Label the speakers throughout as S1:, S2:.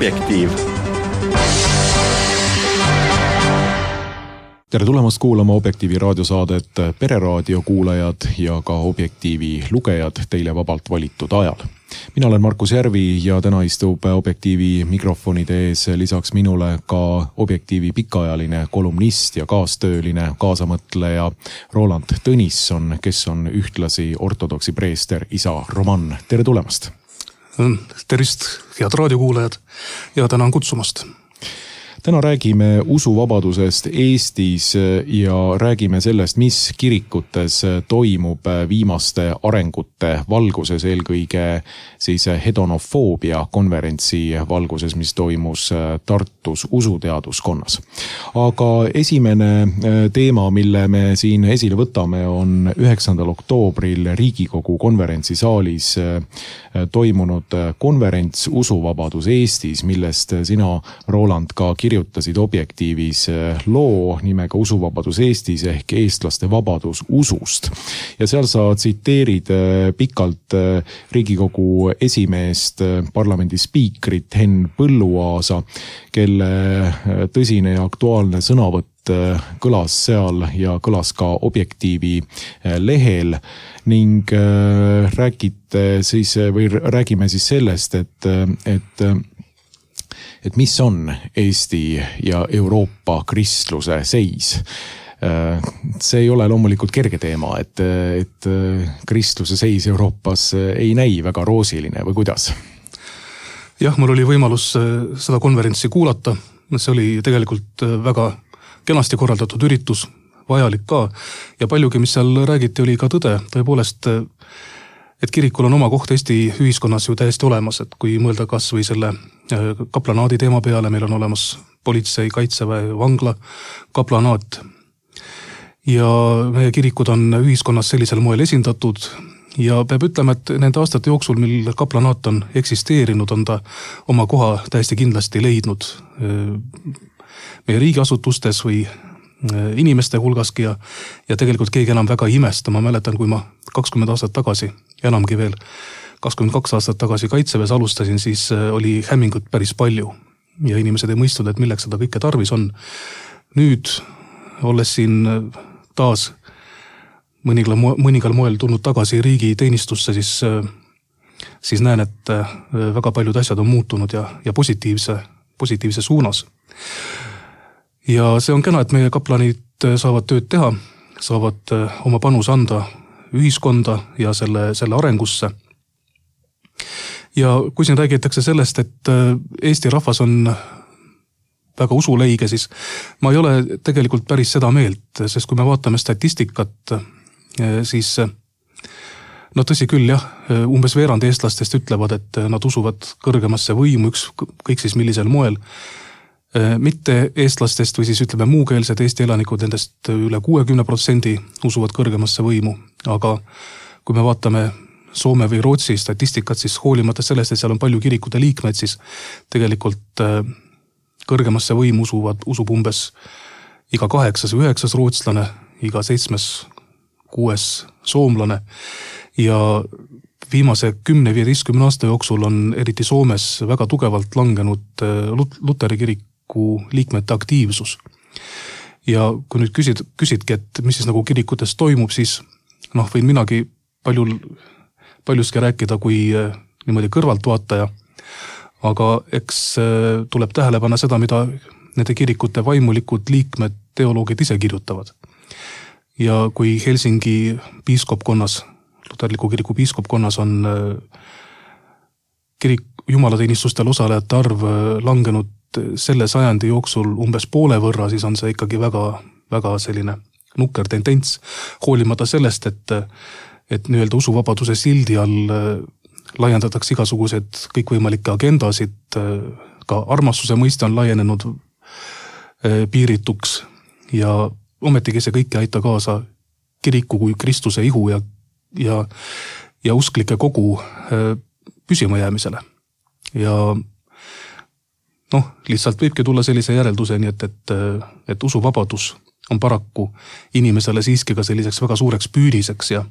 S1: Objektiiv.
S2: Tere tulemast kuulama Objektiivi raadiosaadet Pereraadio kuulajad ja ka Objektiivi lugejad teile vabalt valitud ajal. Mina olen Markus Järvi ja täna istub Objektiivi mikrofonide ees lisaks minule ka Objektiivi pikaajaline kolumnist ja kaastööline kaasamõtleja Roland Tõnisson, kes on ühtlasi ortodoksi preester isa Roman. Tere tulemast!
S3: Tervist, head raadiokuulajad ja tänan kutsumast!
S2: Täna räägime usuvabadusest Eestis ja räägime sellest, mis kirikutes toimub viimaste arengute valguses, eelkõige siis hedonofoobia konverentsi valguses, mis toimus Tartus usuteaduskonnas. Aga esimene teema, mille me siin esile võtame, on 9. oktoobril Riigikogu konverentsisaalis toimunud konverents Usuvabadus Eestis, millest sina, Roland, ka kirjutasid Objektiivis loo nimega Usuvabadus Eestis ehk eestlaste vabadus usust. Ja seal sa tsiteerid pikalt Riigikogu esimeest, parlamendi spiikrit Henn Põlluaasa, kelle tõsine ja aktuaalne sõnavõtt kõlas seal ja kõlas ka Objektiivi lehel ning räägime siis sellest, et mis on Eesti ja Euroopa kristluse seis. See ei ole loomulikult kerge teema, et kristluse seis Euroopas ei näi väga roosiline või kuidas?
S3: Jah, mul oli võimalus seda konverentsi kuulata. See oli tegelikult väga kenasti korraldatud üritus, vajalik ka. Ja paljugi, mis seal räägiti, oli ka tõde. Tõepoolest, et kirikul on oma koht Eesti ühiskonnas ju täiesti olemas, et kui mõelda kas või selle kaplanaadi teema peale, meil on olemas politsei, kaitseväe, vangla, kaplanaat. Ja meie kirikud on ühiskonnas sellisel moel esindatud ja peab ütlema, et nende aastate jooksul, mil kaplanaat on eksisteerinud, on ta oma koha täiesti kindlasti leidnud meie riigiasutustes või inimeste hulgaski ja tegelikult keegi enam väga imesta. Ma mäletan, kui ma 20 aastat tagasi, enamgi veel 22 aastat tagasi kaitseväes alustasin, siis oli hämmingut päris palju ja inimesed ei mõistnud, et milleks seda kõike tarvis on. Nüüd, olles siin taas mõningal moel tulnud tagasi riigi teenistusse, siis näen, et väga paljud asjad on muutunud ja positiivse suunas. Ja see on kena, et meie kaplanid saavad tööd teha, saavad oma panus anda ühiskonda ja selle arengusse. Ja kui siin räägitakse sellest, et Eesti rahvas on väga usuleige, siis ma ei ole tegelikult päris seda meelt, sest kui me vaatame statistikat, siis tõsi küll, jah, umbes veerand eestlastest ütlevad, et nad usuvad kõrgemasse võimu, kõik siis millisel moel. Mitte eestlastest või siis ütleme muukeelsed Eesti elanikud, nendest üle 60% usuvad kõrgemasse võimu, aga kui me vaatame Soome või Rootsi statistikat, siis hoolimata sellest, et seal on palju kirikute liikmed, siis tegelikult kõrgemasse võimu usub umbes iga 8. või 9. rootslane, iga 7. 6. soomlane ja viimase 10-15 aasta jooksul on eriti Soomes väga tugevalt langenud Luteri kiriku liikmete aktiivsus. Ja kui nüüd küsidki, et mis siis nagu kirikutes toimub, siis võin minagi paljuski rääkida kui niimoodi kõrvaltvaataja, aga eks tuleb tähele panna seda, mida nende kirikute vaimulikud liikmed, teoloogid ise kirjutavad. Ja kui Helsingi piiskopkonnas, luterliku kiriku piiskopkonnas on jumalateenistustel osalejate arv langenud selle sajandi jooksul umbes poole võrra, siis on see ikkagi väga, väga selline nukker tendents, hoolimata sellest, et nii-öelda usuvabaduse sildi all laiendatakse igasugused kõikvõimalikke agendasid, ka armastuse mõiste on laienenud piirituks ja ometigi see kõik ei aita kaasa kiriku kui Kristuse ihu ja usklike kogu püsima jäämisele. Ja lihtsalt võibki tulla sellise järelduseni, et usuvabadus on paraku inimesele siiski ka selliseks väga suureks püüdiseks ja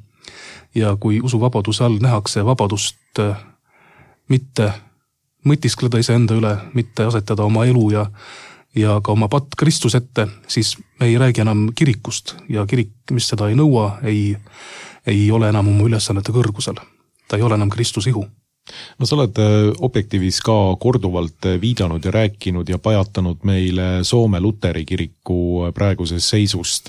S3: kui usuvabaduse all nähakse vabadust mitte mõtiskleda iseenda üle, mitte asetada oma elu ja ka oma patt Kristuse ette, siis me ei räägi enam kirikust ja kirik, mis seda ei nõua, ei ole enam oma ülesannete kõrgusel. Ta ei ole enam Kristuse ihu.
S2: No sa oled Objektiivis ka korduvalt viidanud ja rääkinud ja pajatanud meile Soome Luteri kiriku praegusest seisust.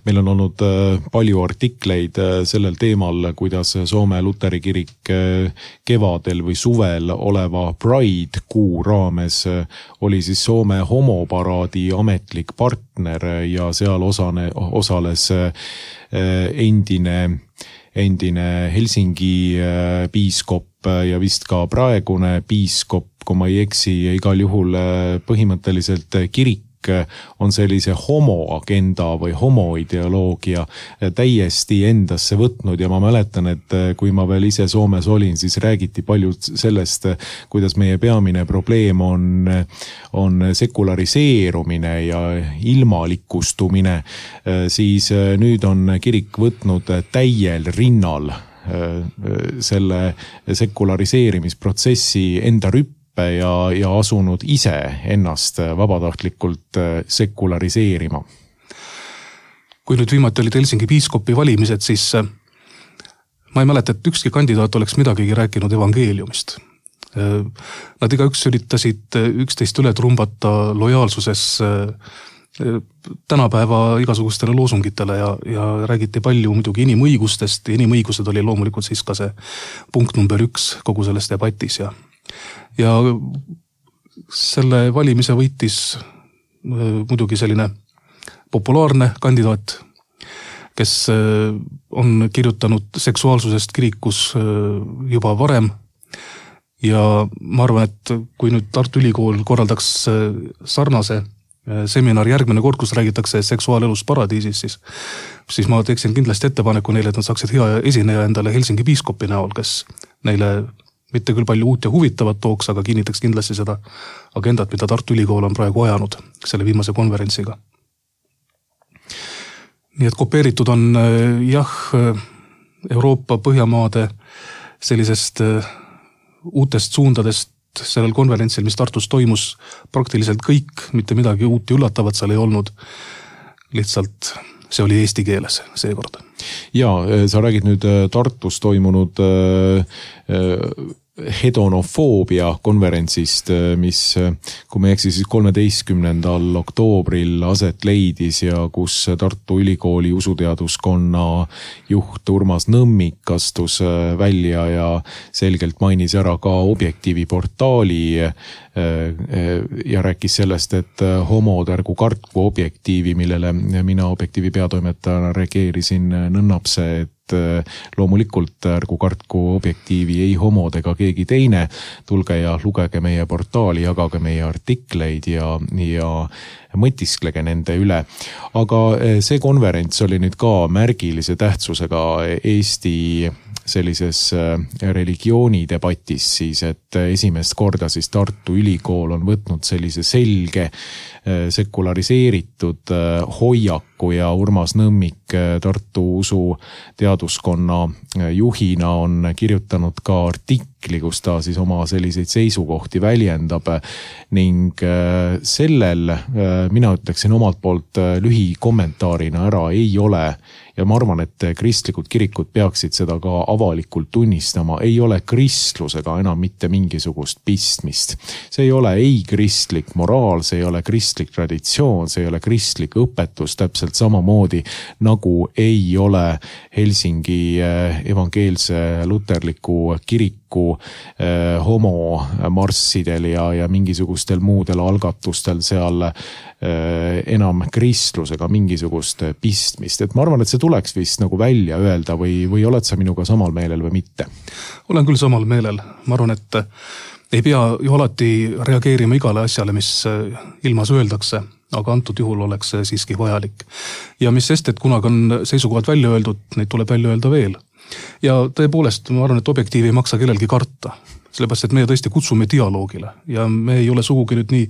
S2: Meil on olnud palju artikleid sellel teemal, kuidas Soome Luteri kirik kevadel või suvel oleva Pride kuu raames oli siis Soome homoparaadi ametlik partner ja seal osales endine Helsingi piiskop ja vist ka praegune piiskop, kui ma ei eksi, ja igal juhul põhimõtteliselt kirik on sellise homoagenda või homoideoloogia täiesti endasse võtnud ja ma mäletan, et kui ma veel ise Soomes olin, siis räägiti palju sellest, kuidas meie peamine probleem on sekulariseerumine ja ilmalikustumine, siis nüüd on kirik võtnud täiel rinnal selle sekulariseerimisprotsessi enda rüppe ja asunud ise ennast vabatahtlikult sekulariseerima.
S3: Kui nüüd viimati olid Helsingi piiskopi valimised, siis ma ei mäleta, et ükski kandidaat oleks midagigi rääkinud evangeeliumist. Nad igaüks üritasid üksteist üle trumbata lojaalsuses tänapäeva igasugustele loosungitele ja räägiti palju muidugi inimõigustest ja inimõigused oli loomulikult siis ka see punkt number 1 kogu selles debatis ja selle valimise võitis muidugi selline populaarne kandidaat, kes on kirjutanud seksuaalsusest kirikus juba varem ja ma arvan, et kui nüüd Tartu Ülikool korraldaks sarnase seminar järgmine kord, kus räägitakse seksuaalelus paradiisis, siis ma teeksin kindlasti ettepaneku neile, et nad saaksid hea esineja endale Helsingi piiskopi näol, kes neile mitte küll palju uut ja huvitavat tooks, aga kinnitaks kindlasti seda agendat, mida Tartu Ülikool on praegu ajanud selle viimase konverentsiga. Nii et kopeeritud on Euroopa Põhjamaade sellisest uutest suundadest sellel konverentsil, mis Tartus toimus, praktiliselt kõik, mitte midagi uut ja üllatavat seal ei olnud. Lihtsalt see oli eesti keeles seekord.
S2: Ja, sa räägid nüüd Tartus toimunud hedonofoobia konverentsist, mis, kui me eksi, siis 13. oktoobril aset leidis ja kus Tartu Ülikooli usuteaduskonna juht Urmas Nõmmik astus välja ja selgelt mainis ära ka Objektiivi portaali ja rääkis sellest, et homod ärgu kartku Objektiivi, millele mina Objektiivi peatoimetajana reageerisin nõnnapse, et loomulikult ärgu kartku Objektiivi ei homod ega keegi teine, tulge ja lugege meie portaali, jagage meie artikleid ja mõtisklege nende üle. Aga see konverents oli nüüd ka märgilise tähtsusega Eesti sellises religioonidebatis siis, et esimest korda siis Tartu Ülikool on võtnud sellise selge sekulariseeritud hoiaku ja Urmas Nõmmik Tartu usu teaduskonna juhina on kirjutanud ka artikli, kus ta siis oma selliseid seisukohti väljendab ning sellel mina ütleksin omalt poolt lühikommentaarina ära ei ole ja ma arvan, et kristlikud kirikud peaksid seda ka avalikult tunnistama, ei ole kristlusega enam mitte mingisugust pistmist. See ei ole ei kristlik moraal, see ei ole kristlik traditsioon, see ei ole kristlik õpetus, täpselt samamoodi nagu ei ole Helsingi evangeelse luterliku kiriku homomarssidel ja mingisugustel muudel algatustel seal enam kristlusega mingisugust pistmist. Et ma arvan, et see tuleks vist nagu välja öelda või oled sa minuga samal meelel või mitte?
S3: Olen küll samal meelel. Ma arvan, et ei pea ju alati reageerima igale asjale, mis ilmas öeldakse, aga antud juhul oleks see siiski vajalik. Ja mis sest, et kunagi on seisukohad välja öeldud, neid tuleb välja öelda veel. Ja tõepoolest, ma arvan, et Objektiivi ei maksa kellelgi karta. Sellepärast, et meie tõesti kutsume dialoogile ja me ei ole sugugi nüüd nii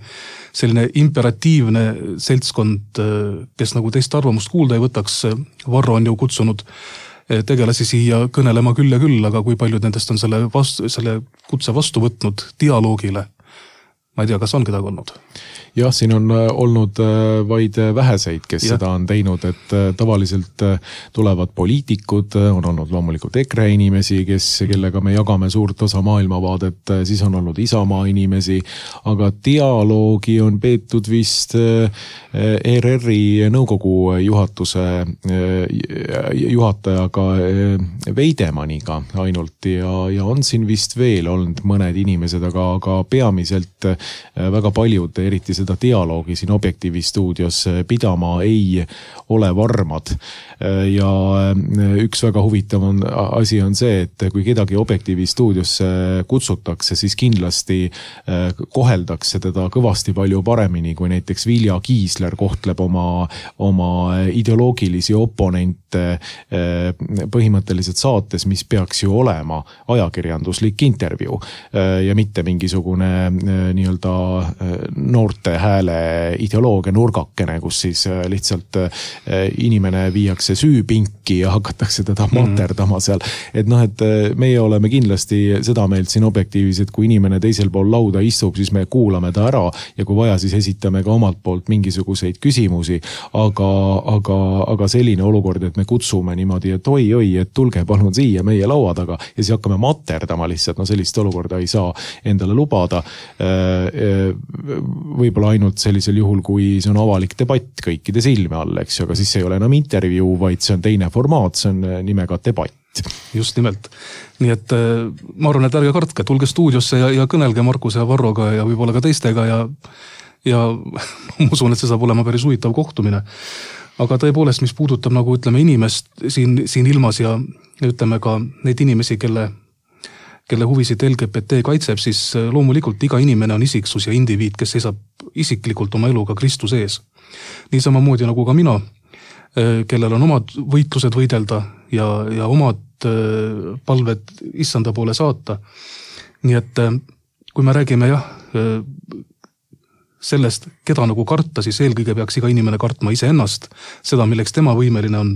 S3: selline imperatiivne seltskond, kes nagu teist arvamust kuulda ei võtaks. Varro on ju kutsunud tegelasi siia kõnelema küll ja küll, aga kui paljud nendest on selle kutse vastu võtnud dialoogile, ma ei tea, kas on kedagi olnud?
S2: Jah, siin on olnud vaid väheseid, kes seda on teinud, et tavaliselt tulevad poliitikud, on olnud loomulikult EKRE inimesi, kellega me jagame suurt osa maailmavaadet, siis on olnud Isamaa inimesi, aga dialoogi on peetud vist ERR-i nõukogu juhatuse juhatajaga Veidemaniga ainult ja on siin vist veel olnud mõned inimesed, aga peamiselt väga paljud, eriti seda dialoogi siin Objektiivi stuudios pidama ei ole varmad. Ja üks väga huvitav asi on see, et kui kedagi Objektiivi stuudiosse kutsutakse, siis kindlasti koheldakse teda kõvasti palju paremini, kui näiteks Vilja Kiisler kohtleb oma ideoloogilisi oponente põhimõtteliselt saates, mis peaks ju olema ajakirjanduslik intervjuu ja mitte mingisugune nii-öelda noorte hääle ideoloogia nurgakene, kus siis lihtsalt inimene viiakse süüpinki ja hakatakse teda materdama seal. Et meie oleme kindlasti seda meelt siin Objektiivis, et kui inimene teisel pool lauda istub, siis me kuulame ta ära ja kui vaja, siis esitame ka omalt poolt mingisuguseid küsimusi, aga selline olukord, et me kutsume niimoodi, et oi, et tulge palun siia meie laua taga ja siis hakkame materdama lihtsalt, sellist olukorda ei saa endale lubada. Võib-olla ainult sellisel juhul, kui see on avalik debatt kõikide silme all, eks ju, aga siis ei ole enam intervjuu, vaid see on teine formaat, see on nimega debatt.
S3: Just nimelt. Nii et ma arvan, et ärge kartke, tulge stuudiosse ja kõnelge Markuse ja Varroga ja võib-olla ka teistega ja ma usun, et see saab olema päris huvitav kohtumine. Aga tõepoolest, mis puudutab nagu ütleme inimest siin ilmas ja ütleme ka neid inimesi, kelle huvisid LGBT kaitseb, siis loomulikult iga inimene on isiksus ja indiviid, kes seisab isiklikult oma eluga Kristuse ees. Nii samamoodi nagu ka mina, kellel on omad võitlused võidelda ja omad palved issanda poole saata. Nii et kui me räägime sellest, keda nagu karta, siis eelkõige peaks iga inimene kartma iseennast, seda, milleks tema võimeline on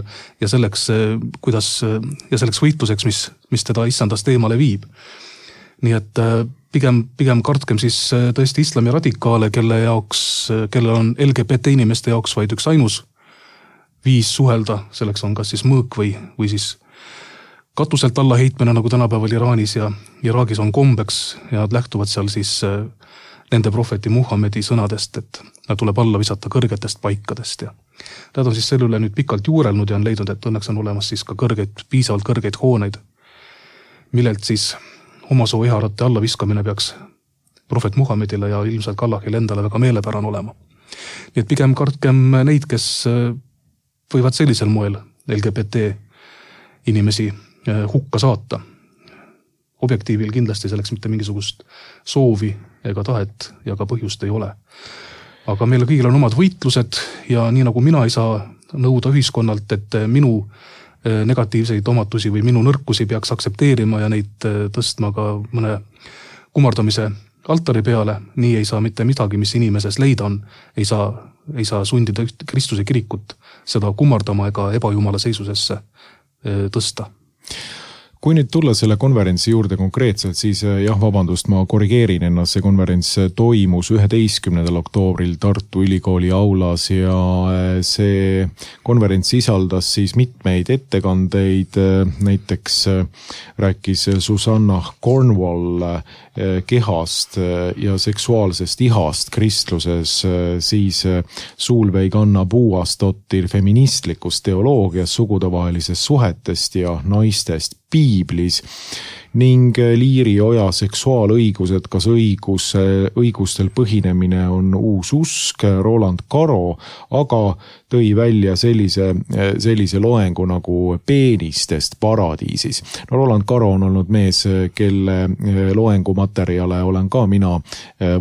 S3: ja selleks võitluseks, mis teda issandast eemale viib. Nii et pigem kartkem siis tõesti islami radikaale, kellel on LGBT inimeste jaoks vaid üks ainus viis suhelda, selleks on kas siis mõõk või siis katuselt alla heitmine, nagu tänapäeval Iraanis ja Iraagis on kombeks ja nad lähtuvad seal siis nende prohveti Muhammedi sõnadest, et nad tuleb alla visata kõrgetest paikadest ja nad on siis selle üle nüüd pikalt juurelnud ja on leidnud, et õnneks on olemas siis ka piisavalt kõrgeid hooneid, millelt siis omasoo iharate alla viskamine peaks prohvet Muhammedile ja ilmselt Allahile endale väga meelepärane olema. Nii et pigem kartkem neid, kes võivad sellisel moel LGBT inimesi hukka saata. Objektiivil kindlasti selleks mitte mingisugust soovi ega tahet ja ka põhjust ei ole. Aga meil kõigil on omad võitlused ja nii nagu mina ei saa nõuda ühiskonnalt, et minu negatiivseid omatusi või minu nõrkusi peaks aksepteerima ja neid tõstma ka mõne kumardamise altari peale, nii ei saa mitte midagi, mis inimeses leida on, ei saa sundida Kristuse kirikut seda kumardama ega ebajumala seisusesse tõsta.
S2: Kui nüüd tulla selle konverentsi juurde konkreetselt, siis vabandust, ma korrigeerin ennast, see konverents toimus 11. oktoobril Tartu Ülikooli aulas ja see konverents sisaldas siis mitmeid ettekandeid, näiteks rääkis Susanna Cornwall kehast ja seksuaalsest ihast kristluses, siis Suulveig Anna Puuastottir feministlikust teoloogiast, sugudevahelisest suhetest ja naistest piiblis ning Liiri Oja seksuaalõigused, kas õigustel põhinemine on uus usk, Roland Karo, aga tõi välja sellise loengu nagu peenistest paradiisis. No Roland Karo on olnud mees, kelle loengumaterjale olen ka mina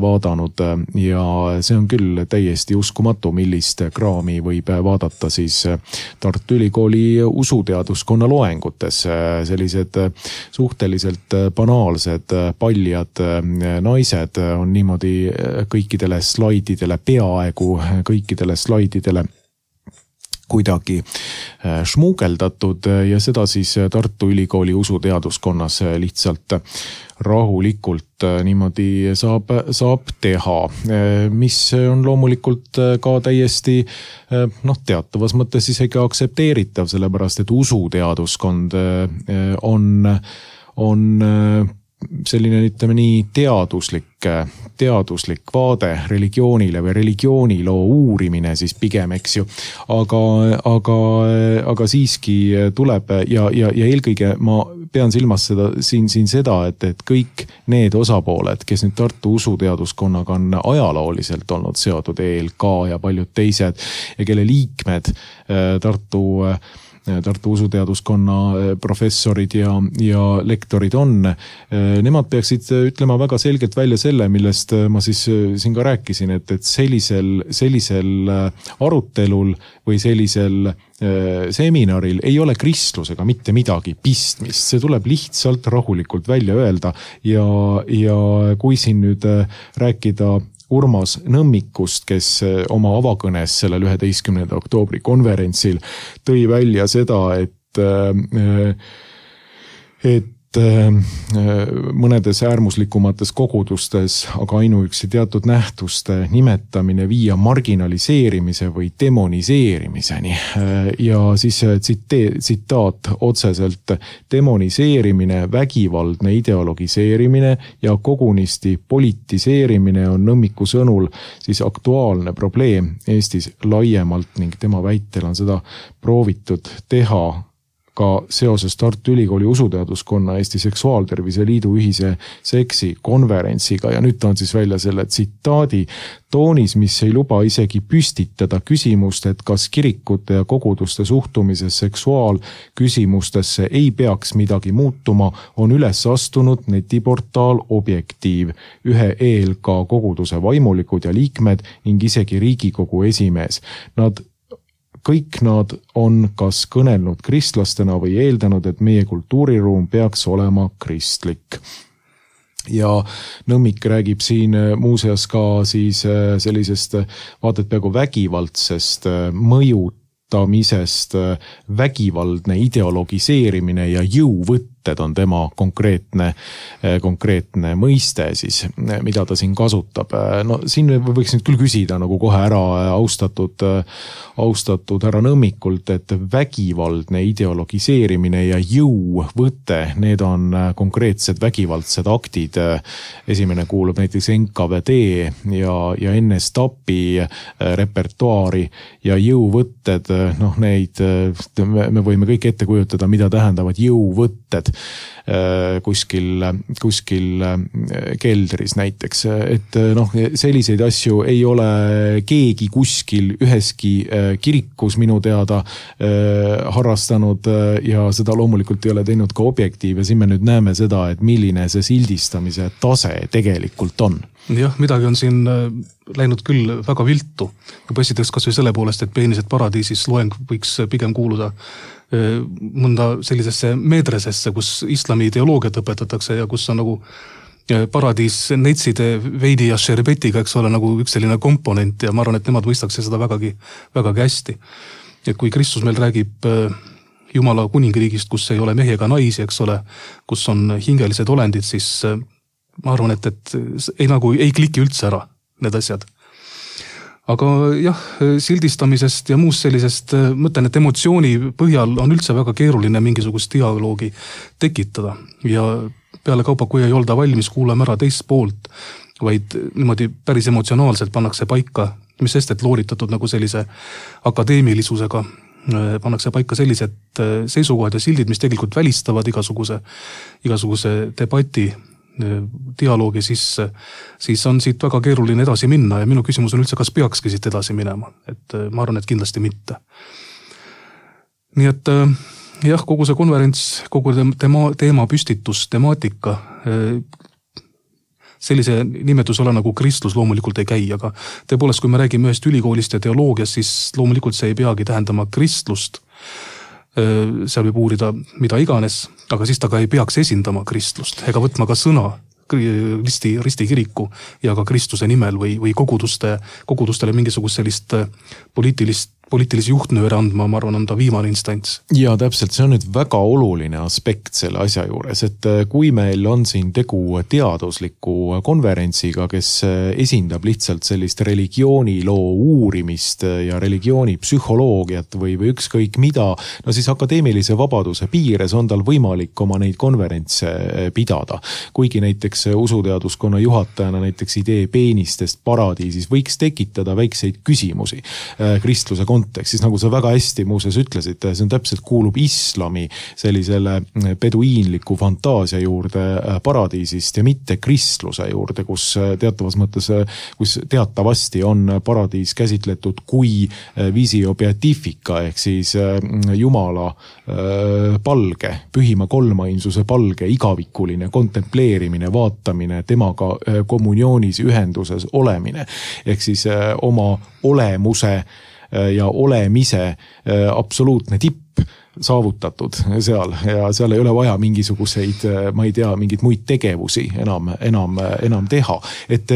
S2: vaadanud ja see on küll täiesti uskumatu, millist kraami võib vaadata siis Tartu Ülikooli usuteaduskonna loengutes. Sellised suhteliselt banaalsed paljad naised on niimoodi kõikidele slaididele, peaaegu kõikidele slaididele kuidagi šmuugeldatud ja seda siis Tartu Ülikooli usuteaduskonnas lihtsalt rahulikult niimoodi saab teha, mis on loomulikult ka täiesti teatavas mõttes isegi aktsepteeritav, sellepärast et usuteaduskond on selline, ütleme nii, teaduslik vaade religioonile või religiooniloo uurimine siis pigem, eks ju. Aga siiski tuleb ja eelkõige ma pean silmas seda, et kõik need osapooled, kes nüüd Tartu usuteaduskonnaga on ajalooliselt olnud seotud, ELK ja paljud teised ja kelle liikmed Tartu usuteaduskonna professorid ja lektorid on, nemad peaksid ütlema väga selgelt välja selle, millest ma siis siin ka rääkisin, et sellisel arutelul või sellisel seminaril ei ole kristlusega mitte midagi pistmist, see tuleb lihtsalt rahulikult välja öelda ja kui siin nüüd rääkida Urmas Nõmmikust, kes oma avakõnes sellel 11. oktoobri konverentsil tõi välja seda, et mõnedes äärmuslikumates kogudustes, aga ainuüksi teatud nähtuste nimetamine viia marginaliseerimise või demoniseerimiseni. Ja siis tsitaat otseselt: demoniseerimine, vägivaldne ideologiseerimine ja kogunisti politiseerimine on Nõmmiku sõnul siis aktuaalne probleem Eestis laiemalt ning tema väitel on seda proovitud teha ka seoses Tartu Ülikooli usuteaduskonna Eesti Seksuaaltervise Liidu ühise seksikonverentsiga ja nüüd on siis välja selle tsitaadi toonis, mis ei luba isegi püstitada küsimust, et kas kirikute ja koguduste suhtumises seksuaalküsimustesse ei peaks midagi muutuma, on üles astunud netiportaal Objektiiv, ühe ELK koguduse vaimulikud ja liikmed ning isegi Riigikogu esimees. Kõik nad on kas kõnelnud kristlastena või eeldanud, et meie kultuuriruum peaks olema kristlik. Ja Nõmmik räägib siin muuseas ka siis sellisest vaadet peaaegu vägivaldsest mõjutamisest, vägivaldne ideologiseerimine ja jõuvõtted on tema konkreetne mõiste siis, mida ta siin kasutab. No siin võiks nüüd küll küsida nagu kohe ära austatud härra Nõmmikult, et vägivaldne ideologiseerimine ja jõuvõte, need on konkreetsed vägivaldsed aktid. Esimene kuulub näiteks NKVD ja NSTAP-i repertuaari ja jõuvõtted, neid me võime kõik ette kujutada, mida tähendavad jõuvõtted kuskil keldris näiteks, et selliseid asju ei ole keegi kuskil üheski kirikus minu teada harrastanud ja seda loomulikult ei ole teinud ka Objektiiv ja siin me nüüd näeme seda, et milline see sildistamise tase tegelikult on.
S3: Jah, midagi on siin läinud küll väga viltu. Esiteks kas või selle poolest, et Peenised paradiisis loeng võiks pigem kuuluda mõnda sellisesse meedresesse, kus islami ideoloogiat õpetatakse ja kus on nagu paradiis neitside veidi ja šerbetiga, eks ole, nagu üks selline komponent ja ma arvan, et nemad mõistaks seda vägagi hästi. Et kui Kristus meil räägib Jumala kuningriigist, kus ei ole mehi ega naisi, eks ole, kus on hingelised olendid, siis ma arvan, et ei kliki üldse ära need asjad. Aga jah, sildistamisest ja muust sellisest, mõtlen, et emotsiooni põhjal on üldse väga keeruline mingisugust dialoogi tekitada ja peale kaupa, kui ei olda valmis kuulama ära teist poolt, vaid niimoodi päris emotsionaalselt pannakse paika, mis sest, et looritatud nagu sellise akadeemilisusega, pannakse paika sellised seisukohad ja sildid, mis tegelikult välistavad igasuguse debati dialoogi, siis on siit väga keeruline edasi minna ja minu küsimus on üldse, kas peakski siit edasi minema, et ma arvan, et kindlasti mitte. Nii et jah, kogu see konverents, kogu teema püstitus, temaatika, sellise nimetusele nagu kristlus loomulikult ei käi, aga tõepoolest, kui me räägime ühest ülikoolist ja teoloogiast, siis loomulikult see ei peagi tähendama kristlust. Seal võib uurida mida iganes, aga siis ta ka ei peaks esindama kristlust ega võtma ka sõna risti kiriku ja ka Kristuse nimel või kogudustele mingisugust sellist poliitilisi juhtnööre andma, ma arvan, on ta viimane instants.
S2: Ja täpselt, see on nüüd väga oluline aspekt selle asja juures, et kui meil on siin tegu teadusliku konverentsiga, kes esindab lihtsalt sellist religiooniloo uurimist ja religiooni psühholoogiat või ükskõik mida, no siis akadeemilise vabaduse piires on tal võimalik oma neid konverentse pidada. Kuigi näiteks usuteaduskonna juhatajana näiteks idee peenistest paradiisis võiks tekitada väikseid küsimusi kristluse kontekstis, nagu sa väga hästi muuseas ütlesid, see on täpselt kuulub islami sellisele peduiinliku fantaasia juurde paradiisist ja mitte kristluse juurde, kus teatavas mõttes, kus teatavasti on paradiis käsitletud kui visio beatifica ehk siis Jumala palge, pühima kolmainsuse palge, igavikuline kontempleerimine, vaatamine, temaga kommunioonis ühenduses olemine ehk siis oma olemuse ja olemise absoluutne tipp saavutatud seal ja seal ei ole vaja mingisuguseid, ma ei tea, mingeid muid tegevusi enam teha. Et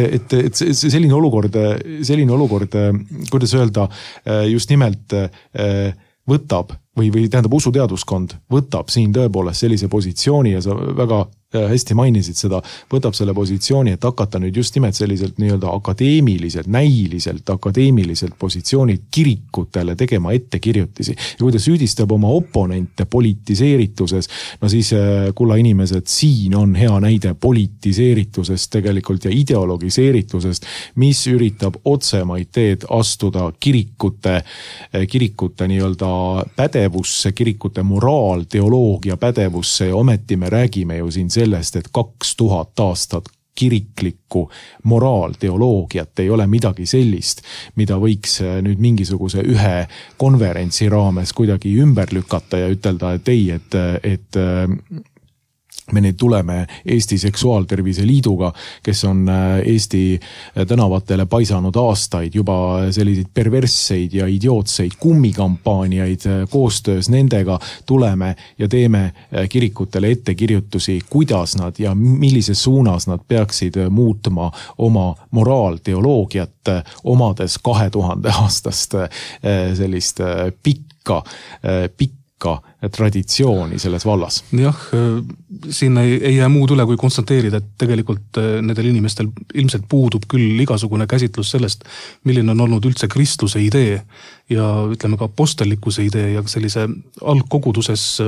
S2: selline olukord, kuidas öelda, just nimelt võtab või tähendab usuteaduskond võtab siin tõepoolest sellise positsiooni ja sa väga hästi mainisid seda, võtab selle positsiooni, et hakata nüüd just nimelt selliselt nii-öelda näiliselt akadeemiliselt positsioonilt kirikutele tegema ettekirjutisi. Ja kui ta süüdistab oma oponente politiseerituses, no siis kulla inimesed, siin on hea näide politiseeritusest tegelikult ja ideologiseeritusest, mis üritab otsemaid teed astuda kirikute nii-öelda pädevusse, kirikute moraal, teoloogia pädevusse ja ometi me räägime ju siin sellest, et 2000 aastat kiriklikku moraalteoloogiat ei ole midagi sellist, mida võiks nüüd mingisuguse ühe konverentsi raames kuidagi ümber lükata ja ütelda, et ei, et me nüüd tuleme Eesti Seksuaaltervise Liiduga, kes on Eesti tänavatele paisanud aastaid juba selliseid perversseid ja idiootseid kummikampaaniaid koostöös nendega tuleme ja teeme kirikutele ettekirjutusi, kuidas nad ja millises suunas nad peaksid muutma oma moraalteoloogiat, omades 2000 aastast sellist pikka traditsiooni selles vallas.
S3: Jah, siin ei jää muud üle, kui konstateerida, et tegelikult nendel inimestel ilmselt puudub küll igasugune käsitlus sellest, milline on olnud üldse kristluse idee ja ütleme ka apostellikkuse idee ja sellise algkoguduses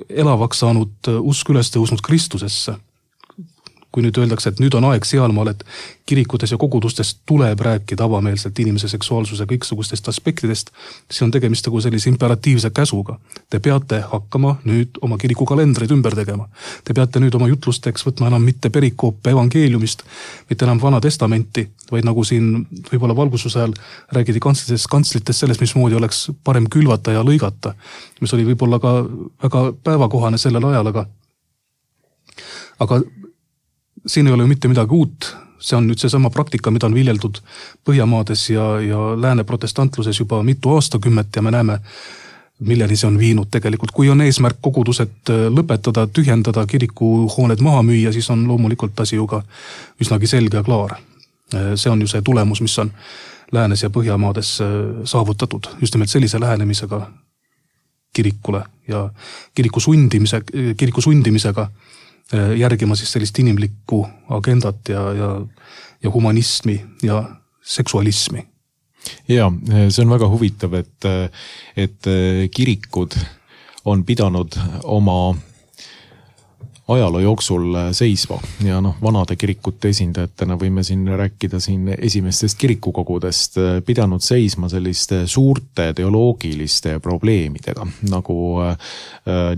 S3: elavaks saanud usk üles tõusnud Kristusesse. Kui nüüd öeldakse, et nüüd on aeg sealmaal, et kirikutes ja kogudustes tuleb rääkida avameelselt inimese seksuaalsuse kõiksugustest aspektidest, siis on tegemist nagu sellise imperatiivse käsuga. Te peate hakkama nüüd oma kirikukalendreid ümber tegema. Te peate nüüd oma jutlusteks võtma enam mitte perikoope evangeeliumist, mitte enam Vana Testamenti, vaid nagu siin võib-olla valgususe ajal räägidi kantslites sellest, mismoodi oleks parem külvata ja lõigata, mis oli võib-olla ka väga päevakohane sellel ajal, aga siin ei ole ju mitte midagi uut, see on nüüd seesama praktika, mida on viljeldud Põhjamaades ja lääne protestantluses juba mitu aastakümmet ja me näeme, milleni see on viinud tegelikult. Kui on eesmärk kogudused lõpetada, tühjendada, kirikuhooned maha müüa, siis on loomulikult asi ju ka üsnagi selge ja klaar. See on ju see tulemus, mis on läänes ja Põhjamaades saavutatud just nimelt sellise lähenemisega kirikule ja kiriku sundimisega järgima siis sellist inimlikku agendat ja humanismi ja seksualismi.
S2: Ja, see on väga huvitav, et kirikud on pidanud oma ajaloo jooksul seisva ja vanade kirikute esindajatena võime siin rääkida siin esimestest kirikukogudest, pidanud seisma selliste suurte teoloogiliste probleemidega, nagu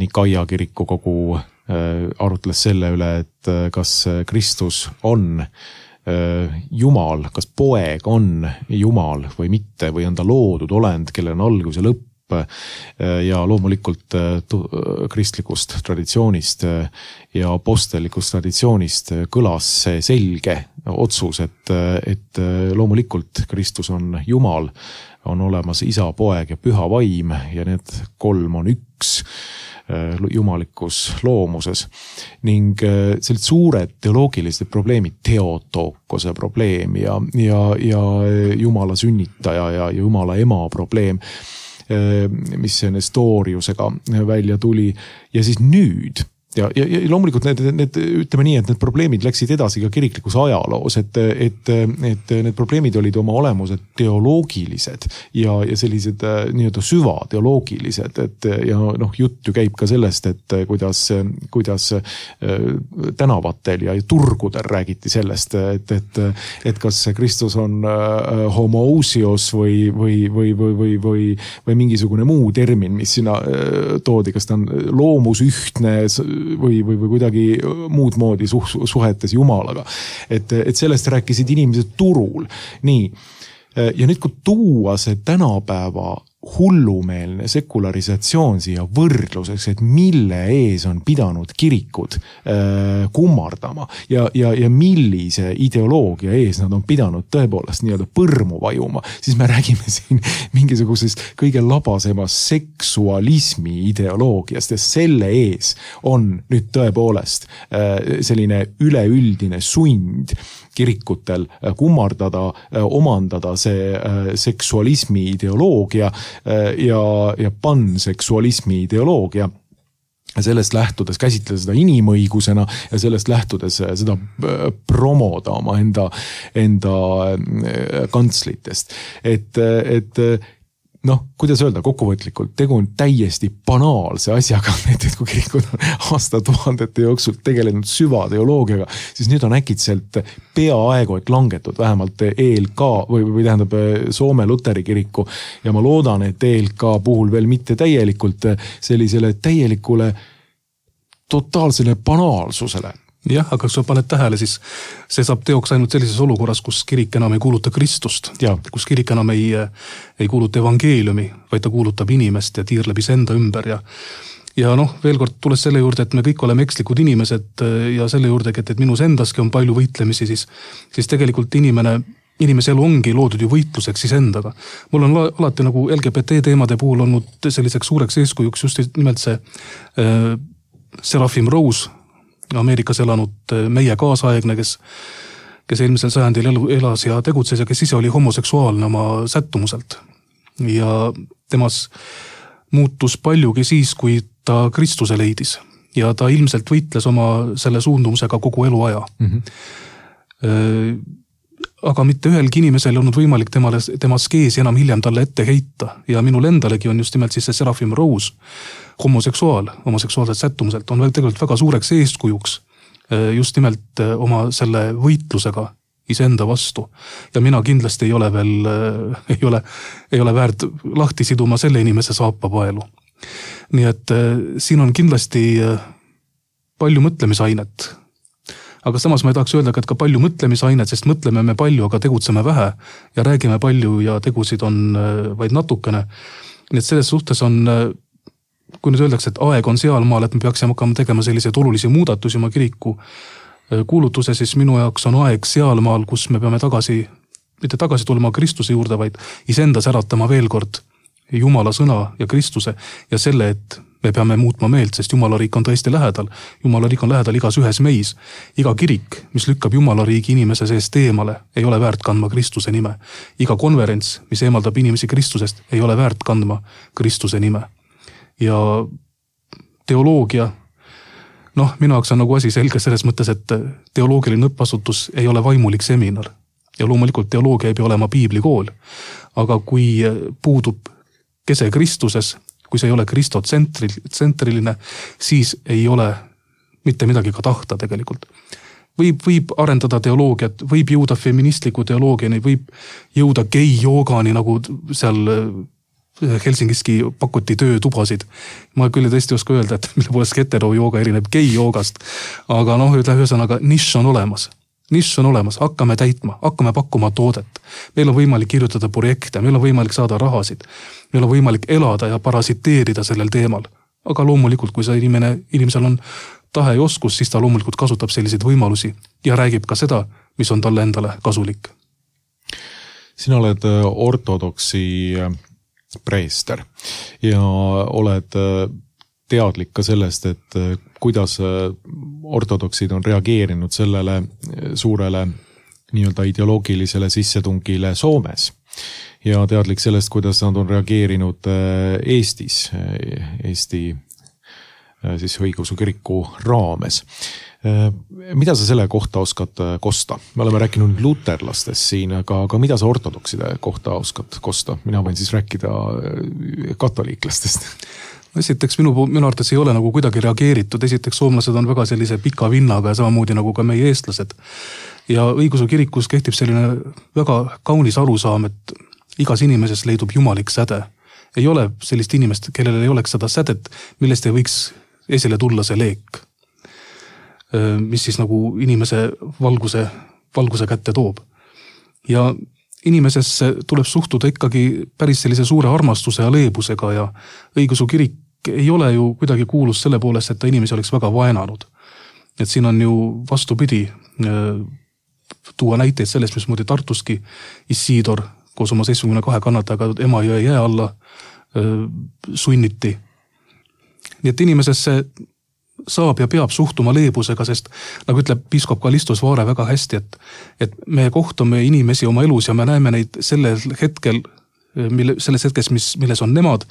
S2: Nikaia kirikukogu arutles selle üle, et kas Kristus on Jumal, kas poeg on Jumal või mitte või on ta loodud olend, kellel on algus ja lõpp ja loomulikult kristlikust traditsioonist ja apostellikust traditsioonist kõlas see selge otsus, et loomulikult Kristus on Jumal, on olemas isa, poeg ja püha vaim ja need kolm on üks. jumalikus loomuses. Ning sellised suured teoloogilised probleemid, Theotokose probleem ja Jumala sünnitaja ja Jumala ema probleem, mis Nestoriusega välja tuli. Ja siis nüüd ja loomulikult need ütleme nii, et need probleemid läksid edasi ka kiriklikus ajaloos, et need probleemid olid oma olemused teoloogilised ja sellised nii-öelda süvateoloogilised, ja jutt ju käib ka sellest, et kuidas tänavatel ja turgudel räägiti sellest, et kas Kristus on homoousios või mingisugune muu termin, mis sinna toodi, kas ta on loomusühtne või kuidagi muud moodi suhetes Jumalaga. Et sellest rääkisid inimesed turul. Nii. Ja nüüd kui tuua see tänapäeva hullumeelne sekularisatsioon siia võrdluseks, et mille ees on pidanud kirikud kummardama ja millise ideoloogia ees nad on pidanud tõepoolest nii-öelda põrmu vajuma, siis me räägime siin mingisugusest kõige labasemast seksualismi ideoloogiast ja selle ees on nüüd tõepoolest selline üleüldine sund kirikutel kummardada, omandada see seksualismi ideoloogia ja panseksualismi ideoloogia. Sellest lähtudes käsitleda seda inimõigusena ja sellest lähtudes seda promoda oma enda kantslitest. Et kuidas öelda kokkuvõtlikult, tegu on täiesti banaalse asjaga, et kui kirikud on aastatuhandete jooksul tegelenud süvateoloogiaga, siis nüüd on äkitselt peaaegu, et langetud vähemalt ELK või tähendab Soome Luteri kiriku ja ma loodan, et ELK puhul veel mitte täielikult sellisele täielikule totaalsele banaalsusele.
S3: Jah, aga kui sa paned tähele, siis see saab teoks ainult sellises olukorras, kus kirik enam ei kuuluta Kristust, kus kirik enam ei kuuluta evangeeliumi, vaid ta kuulutab inimest ja tiirleb enda ümber ja veel kord tulles selle juurde, et me kõik oleme ekslikud inimesed ja selle juurde, et minus endaski on palju võitlemisi, siis tegelikult inimese elu ongi loodud ju võitluseks siis endaga. Mul on alati nagu LGBT teemade puhul olnud selliseks suureks eeskujuks just nimelt see Seraphim Rose, Ameerikas elanud meie kaasaegne, kes eelmisel sajandil elas ja tegutses ja kes ise oli homoseksuaalne oma sättumuselt. Ja temas muutus paljugi siis, kui ta Kristuse leidis. Ja ta ilmselt võitles oma selle suundumusega kogu eluaja. Aga mitte ühelgi inimesel on olnud võimalik tema skeesi enam hiljem talle ette heita. Ja minul endalegi on just nimelt siis see Seraphim Rose, homoseksuaalselt sättumuselt, on tegelikult väga suureks eeskujuks just nimelt oma selle võitlusega iseenda vastu. Ja mina kindlasti ei ole väärt lahti siduma selle inimese saapapaelu. Nii et siin on kindlasti palju mõtlemisainet. Aga samas ma ei tahaks öelda, et ka palju mõtlemisainet, sest mõtleme me palju, aga tegutseme vähe ja räägime palju ja tegusid on vaid natukene. Nii et selles suhtes on, kui nüüd öeldakse, et aeg on sealmaal, et me peaksime hakkama tegema selliseid olulisi muudatusi oma kiriku kuulutuse, siis minu jaoks on aeg sealmaal, kus me peame mitte tagasi tulema Kristuse juurde, vaid isendas äratama veel kord Jumala sõna ja Kristuse ja selle, et me peame muutma meelt, sest Jumala riik on tõesti lähedal. Jumala riik on lähedal igas ühes meis. Iga kirik, mis lükkab Jumala riigi inimese seest eemale, ei ole väärt kandma Kristuse nime. Iga konverents, mis eemaldab inimesi Kristusest, ei ole väärt kandma Kristuse nime. Ja teoloogia, minu jaoks on nagu asi selge selles mõttes, et teoloogiline õppasutus ei ole vaimulik seminar. Ja loomulikult teoloogia ei pea olema piiblikool. Aga kui puudub kese Kristuses, kui see ei ole kristotsentriline, siis ei ole mitte midagi ka tahta tegelikult. Võib arendada teoloogiat, võib jõuda feministliku teoloogiani, võib jõuda gei-joogani, nagu seal Helsingiski pakuti töötubasid. Ma küll tõesti oska öelda, et mille poolest hetero-jooga erineb gei-joogast, aga ühesõnaga nišš on olemas. Nišš on olemas, hakkame täitma, hakkame pakkuma toodet. Meil on võimalik kirjutada projekte, meil on võimalik saada rahasid, meil on võimalik elada ja parasiteerida sellel teemal. Aga loomulikult, kui see inimesel on tahe ja oskus, siis ta loomulikult kasutab selliseid võimalusi ja räägib ka seda, mis on talle endale kasulik.
S2: Sina oled ortodoksi preester ja oled teadlik ka sellest, et kuidas ortodoksid on reageerinud sellele suurele nii-öelda ideoloogilisele sissetungile Soomes ja teadlik sellest, kuidas nad on reageerinud Eestis, Eesti siis õigeusu kiriku raames. Mida sa selle kohta oskad kosta? Me oleme rääkinud luterlastest siin, aga mida sa ortodokside kohta oskad kosta? Mina võin siis rääkida katoliiklastest.
S3: Esiteks minu arvates ei ole nagu kuidagi reageeritud. Esiteks soomlased on väga sellise pika vinnaga ja samamoodi nagu ka meie eestlased. Ja õigeusu kirikus kehtib selline väga kaunis arusaam, et igas inimeses leidub jumalik säde. Ei ole sellist inimest, kellel ei oleks seda sädet, millest ei võiks esile tulla see leek, mis siis nagu inimese valguse kätte toob. Ja inimesesse tuleb suhtuda ikkagi päris sellise suure armastuse ja leebusega ja õigeusu kirik ei ole ju kuidagi kuulus selle poolest, et ta inimesi oleks väga vaenanud. Et siin on ju vastupidi tuua näiteid sellest, mismoodi Tartuski Isidor koos oma 72 kannatajaga Emajõe jää alla sunniti. Nii et inimesesse saab ja peab suhtuma leebusega, sest nagu ütleb piiskop Kallistus Vaare väga hästi, et me kohtame inimesi oma elus ja me näeme neid selles hetkes, milles on nemad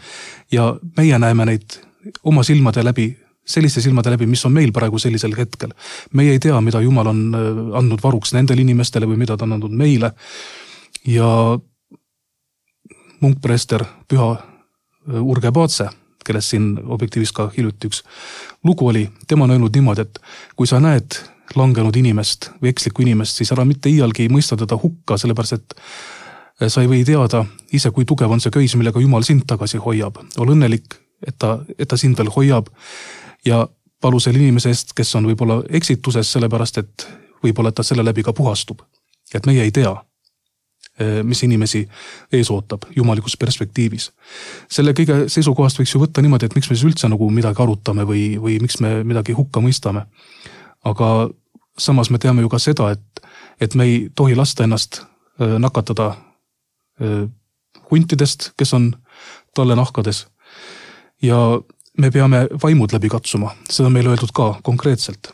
S3: ja meie näeme neid oma silmade läbi, selliste silmade läbi, mis on meil praegu sellisel hetkel. Meie ei tea, mida Jumal on andnud varuks nendele inimestele või mida ta on andnud meile. Ja munkpreester Püha Urge Paatse, kellest siin Objektiivis ka hiljuti üks lugu oli, tema on öelnud niimoodi, et kui sa näed langenud inimest või ekslikku inimest, siis ära mitte iialgi mõista teda hukka, sellepärast et sa ei või teada ise, kui tugev on see köis, millega Jumal sind tagasi hoiab. Ol õnnelik, et ta sind veel hoiab ja palu selle inimese eest, kes on võib-olla eksituses, sellepärast et võib-olla ta selle läbi ka puhastub. Et meie ei tea, mis inimesi ees ootab jumalikus perspektiivis. Selle kõige seisukohast võiks ju võtta niimoodi, et miks me siis üldse nagu midagi arutame või miks me midagi hukka mõistame. Aga samas me teame ju ka seda, et me ei tohi lasta ennast nakatada huntidest, kes on talle nahkades. Ja me peame vaimud läbi katsuma. Seda on meil öeldud ka konkreetselt.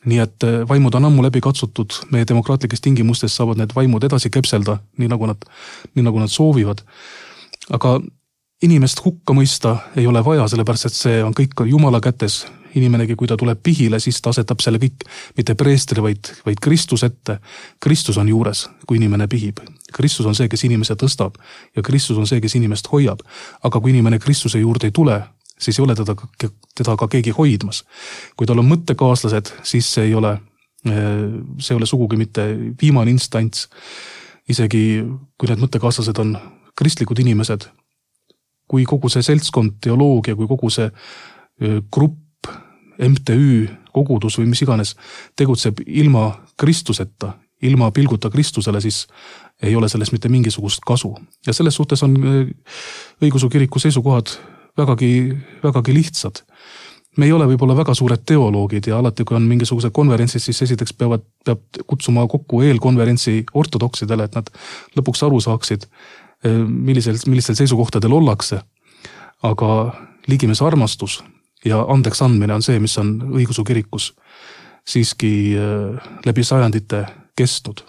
S3: Nii et vaimud on ammu läbi katsutud, meie demokraatlikes tingimustes saavad need vaimud edasi kepselda, nii nagu nad soovivad. Aga inimest hukka mõista ei ole vaja, sellepärast et see on kõik Jumala kätes. Inimenegi, kui ta tuleb pihile, siis ta asetab selle kõik mitte preestri, vaid Kristus ette. Kristus on juures, kui inimene pihib. Kristus on see, kes inimese tõstab ja Kristus on see, kes inimest hoiab. Aga kui inimene Kristuse juurde ei tule, siis ei ole teda ka keegi hoidmas. Kui tal on mõttekaaslased, siis see ei ole sugugi mitte viimane instants. Isegi kui need mõttekaaslased on kristlikud inimesed, kui kogu see seltskond, teoloogia, kui kogu see grupp, MTÜ, kogudus või mis iganes tegutseb ilma Kristuseta, ilma pilguta Kristusele, siis ei ole sellest mitte mingisugust kasu. Ja selles suhtes on õigeusu kiriku seisukohad vägagi lihtsad. Me ei ole võib-olla väga suured teoloogid ja alati, kui on mingisugused konverentsid, siis esiteks peab kutsuma kokku eelkonverentsi ortodoksidele, et nad lõpuks aru saaksid, millistel seisukohtadel ollakse. Aga ligimees armastus ja andeks andmine on see, mis on õigeusu kirikus siiski läbi sajandite kestnud.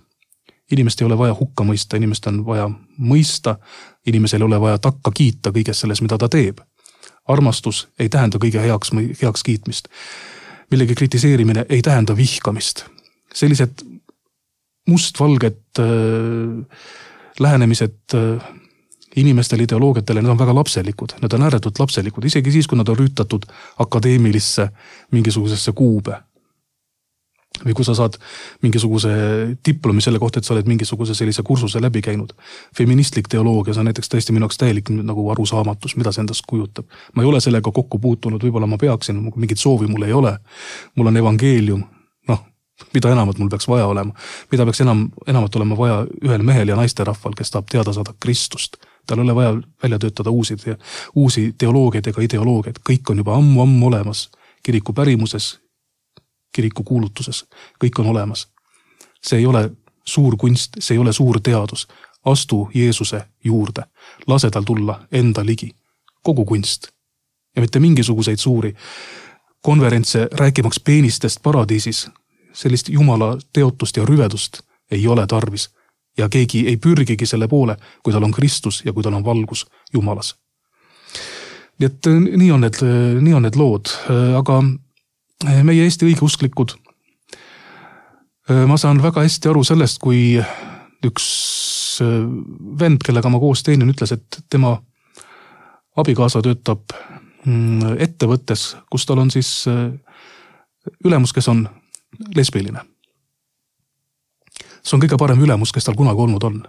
S3: Inimest ei ole vaja hukka mõista, inimest on vaja mõista, inimesel ei ole vaja takka kiita kõiges selles, mida ta teeb. Armastus ei tähenda kõige heaks kiitmist. Millegi kritiseerimine ei tähenda vihkamist. Sellised mustvalged lähenemised inimestele, ideoloogiatele, need on väga lapselikud. Need on ääretult lapselikud, isegi siis, kui nad on rüütatud akadeemilisse mingisugusesse kuube. Või kui sa saad mingisuguse diplomi selle kohta, et sa oled mingisuguse sellise kursuse läbi käinud. Feministlik teoloogia, see on näiteks tõesti minu jaoks täielik nagu arusaamatus, mida see endast kujutab. Ma ei ole sellega kokku puutunud, võib-olla ma peaksin, mingit soovi mul ei ole. Mul on evangeelium, mida enamat mul peaks vaja olema. Mida peaks enamat olema vaja ühel mehel ja naisterahval, kes tahab teada saada Kristust. Tal ei ole vaja välja töötada uusi teoloogiaid ega ideoloogiaid. Kõik on juba ammu olemas kiriku pärimuses, kiriku kuulutuses, kõik on olemas. See ei ole suur kunst, see ei ole suur teadus. Astu Jeesuse juurde, lase tal tulla enda ligi. Kogu kunst ja mitte mingisuguseid suuri konverentse rääkimaks peenistest paradiisis. Sellist jumala teotust ja rüvedust ei ole tarvis ja keegi ei pürgigi selle poole, kui tal on Kristus ja kui tal on valgus Jumalas. Nii et nii on need lood, aga meie Eesti õigeusklikud, ma saan väga hästi aru sellest, kui üks vend, kellega ma koos teenin, ütles, et tema abikaasa töötab ettevõttes, kus tal on siis ülemus, kes on lesbiline. See on kõige parem ülemus, kes tal kunagi olnud on.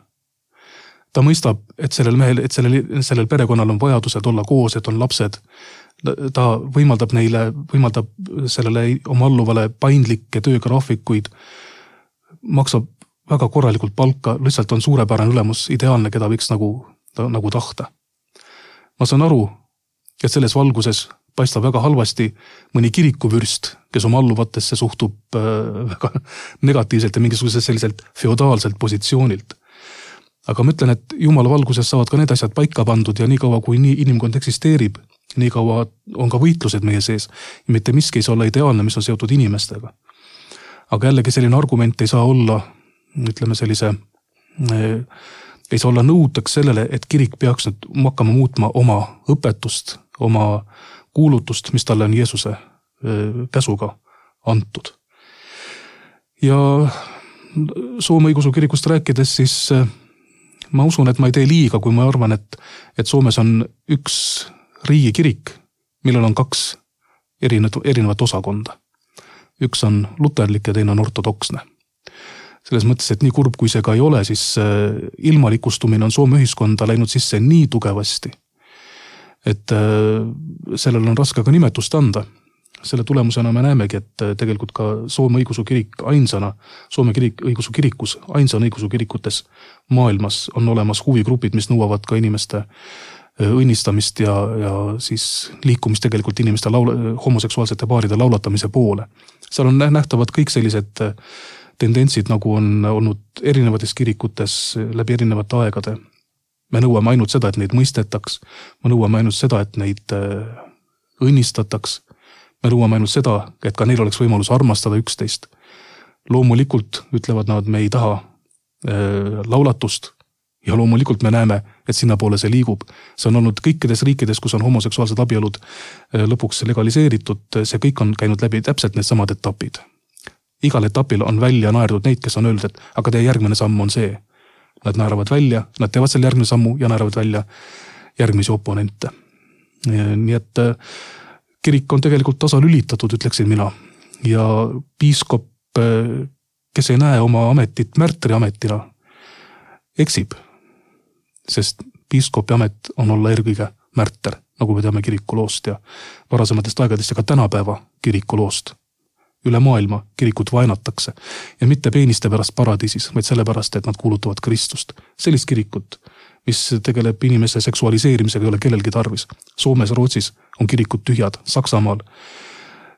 S3: Ta mõistab, et sellel mehel, et sellel perekonnal on vajadused olla koos, et on lapsed. Ta võimaldab sellele oma alluvale paindlikke töögraafikuid, maksab väga korralikult palka, lihtsalt on suurepärane ülemus, ideaalne, keda võiks nagu tahta. Ma saan aru, et selles valguses paistab väga halvasti mõni kirikuvürst, kes oma alluvatesse suhtub väga negatiivselt ja mingisuguse selliselt feodaalselt positsioonilt. Aga ma ütlen, et Jumala valguses saavad ka need asjad paika pandud ja nii kaua, kui inimkond eksisteerib, nii kaua on ka võitlused meie sees. Ja mitte miski ei saa olla ideaalne, mis on seotud inimestega. Aga jällegi selline argument ei saa olla, ütleme ei saa olla nõudeks sellele, et kirik peaks nüüd hakkama muutma oma õpetust, oma kuulutust, mis talle on Jeesuse käsuga antud. Ja Soome õigeusu kirikust rääkides, siis ma usun, et ma ei tee liiga, kui ma arvan, et Soomes on üks riigikirik, millel on 2 erinevat osakonda. Üks on luterlik ja teine on ortodoksne. Selles mõttes, et nii kurb kui see ka ei ole, siis ilmalikustumine on Soome ühiskonda läinud sisse nii tugevasti, et sellel on raske ka nimetust anda. Selle tulemusena me näemegi, et tegelikult ka Soome õigeusu kirik ainsana, Soome õigeusu kirikus, ainsana õigeusu kirikutes maailmas on olemas huvigrupid, mis nõuavad ka inimeste õnnistamist ja siis liikumist tegelikult inimeste homoseksuaalsete paaride laulatamise poole. Seal on nähtavad kõik sellised tendentsid, nagu on olnud erinevates kirikutes läbi erinevate aegade. Me nõuame ainult seda, et neid mõistetaks. Me nõuame ainult seda, et neid õnnistataks. Me nõuame ainult seda, et ka neil oleks võimalus armastada üksteist. Loomulikult ütlevad nad, me ei taha laulatust ja loomulikult me näeme, et sinna poole see liigub. See on olnud kõikides riikides, kus on homoseksuaalsed abielud lõpuks legaliseeritud. See kõik on käinud läbi täpselt need samad etapid. Igal etapil on välja naerdud neid, kes on öelnud, et aga teie järgmine samm on see. Nad naeravad välja, nad teevad selle järgmine sammu ja naeravad välja järgmisi oponente. Nii et kirik on tegelikult tasalülitatud, ütleksin mina. Ja piiskop, kes ei näe oma ametit märtri ametina, eksib. Sest piiskopi amet on olla eelkõige märter, nagu me teame kirikuloost ja varasematest aegadest ja ka tänapäeva kirikuloost. Üle maailma kirikut vaenatakse ja mitte peeniste pärast paradiisis, vaid sellepärast, et nad kuulutavad Kristust. Sellist kirikut, mis tegeleb inimese seksualiseerimisega, ei ole kellelgi tarvis. Soomes, Rootsis on kirikud tühjad, Saksamaal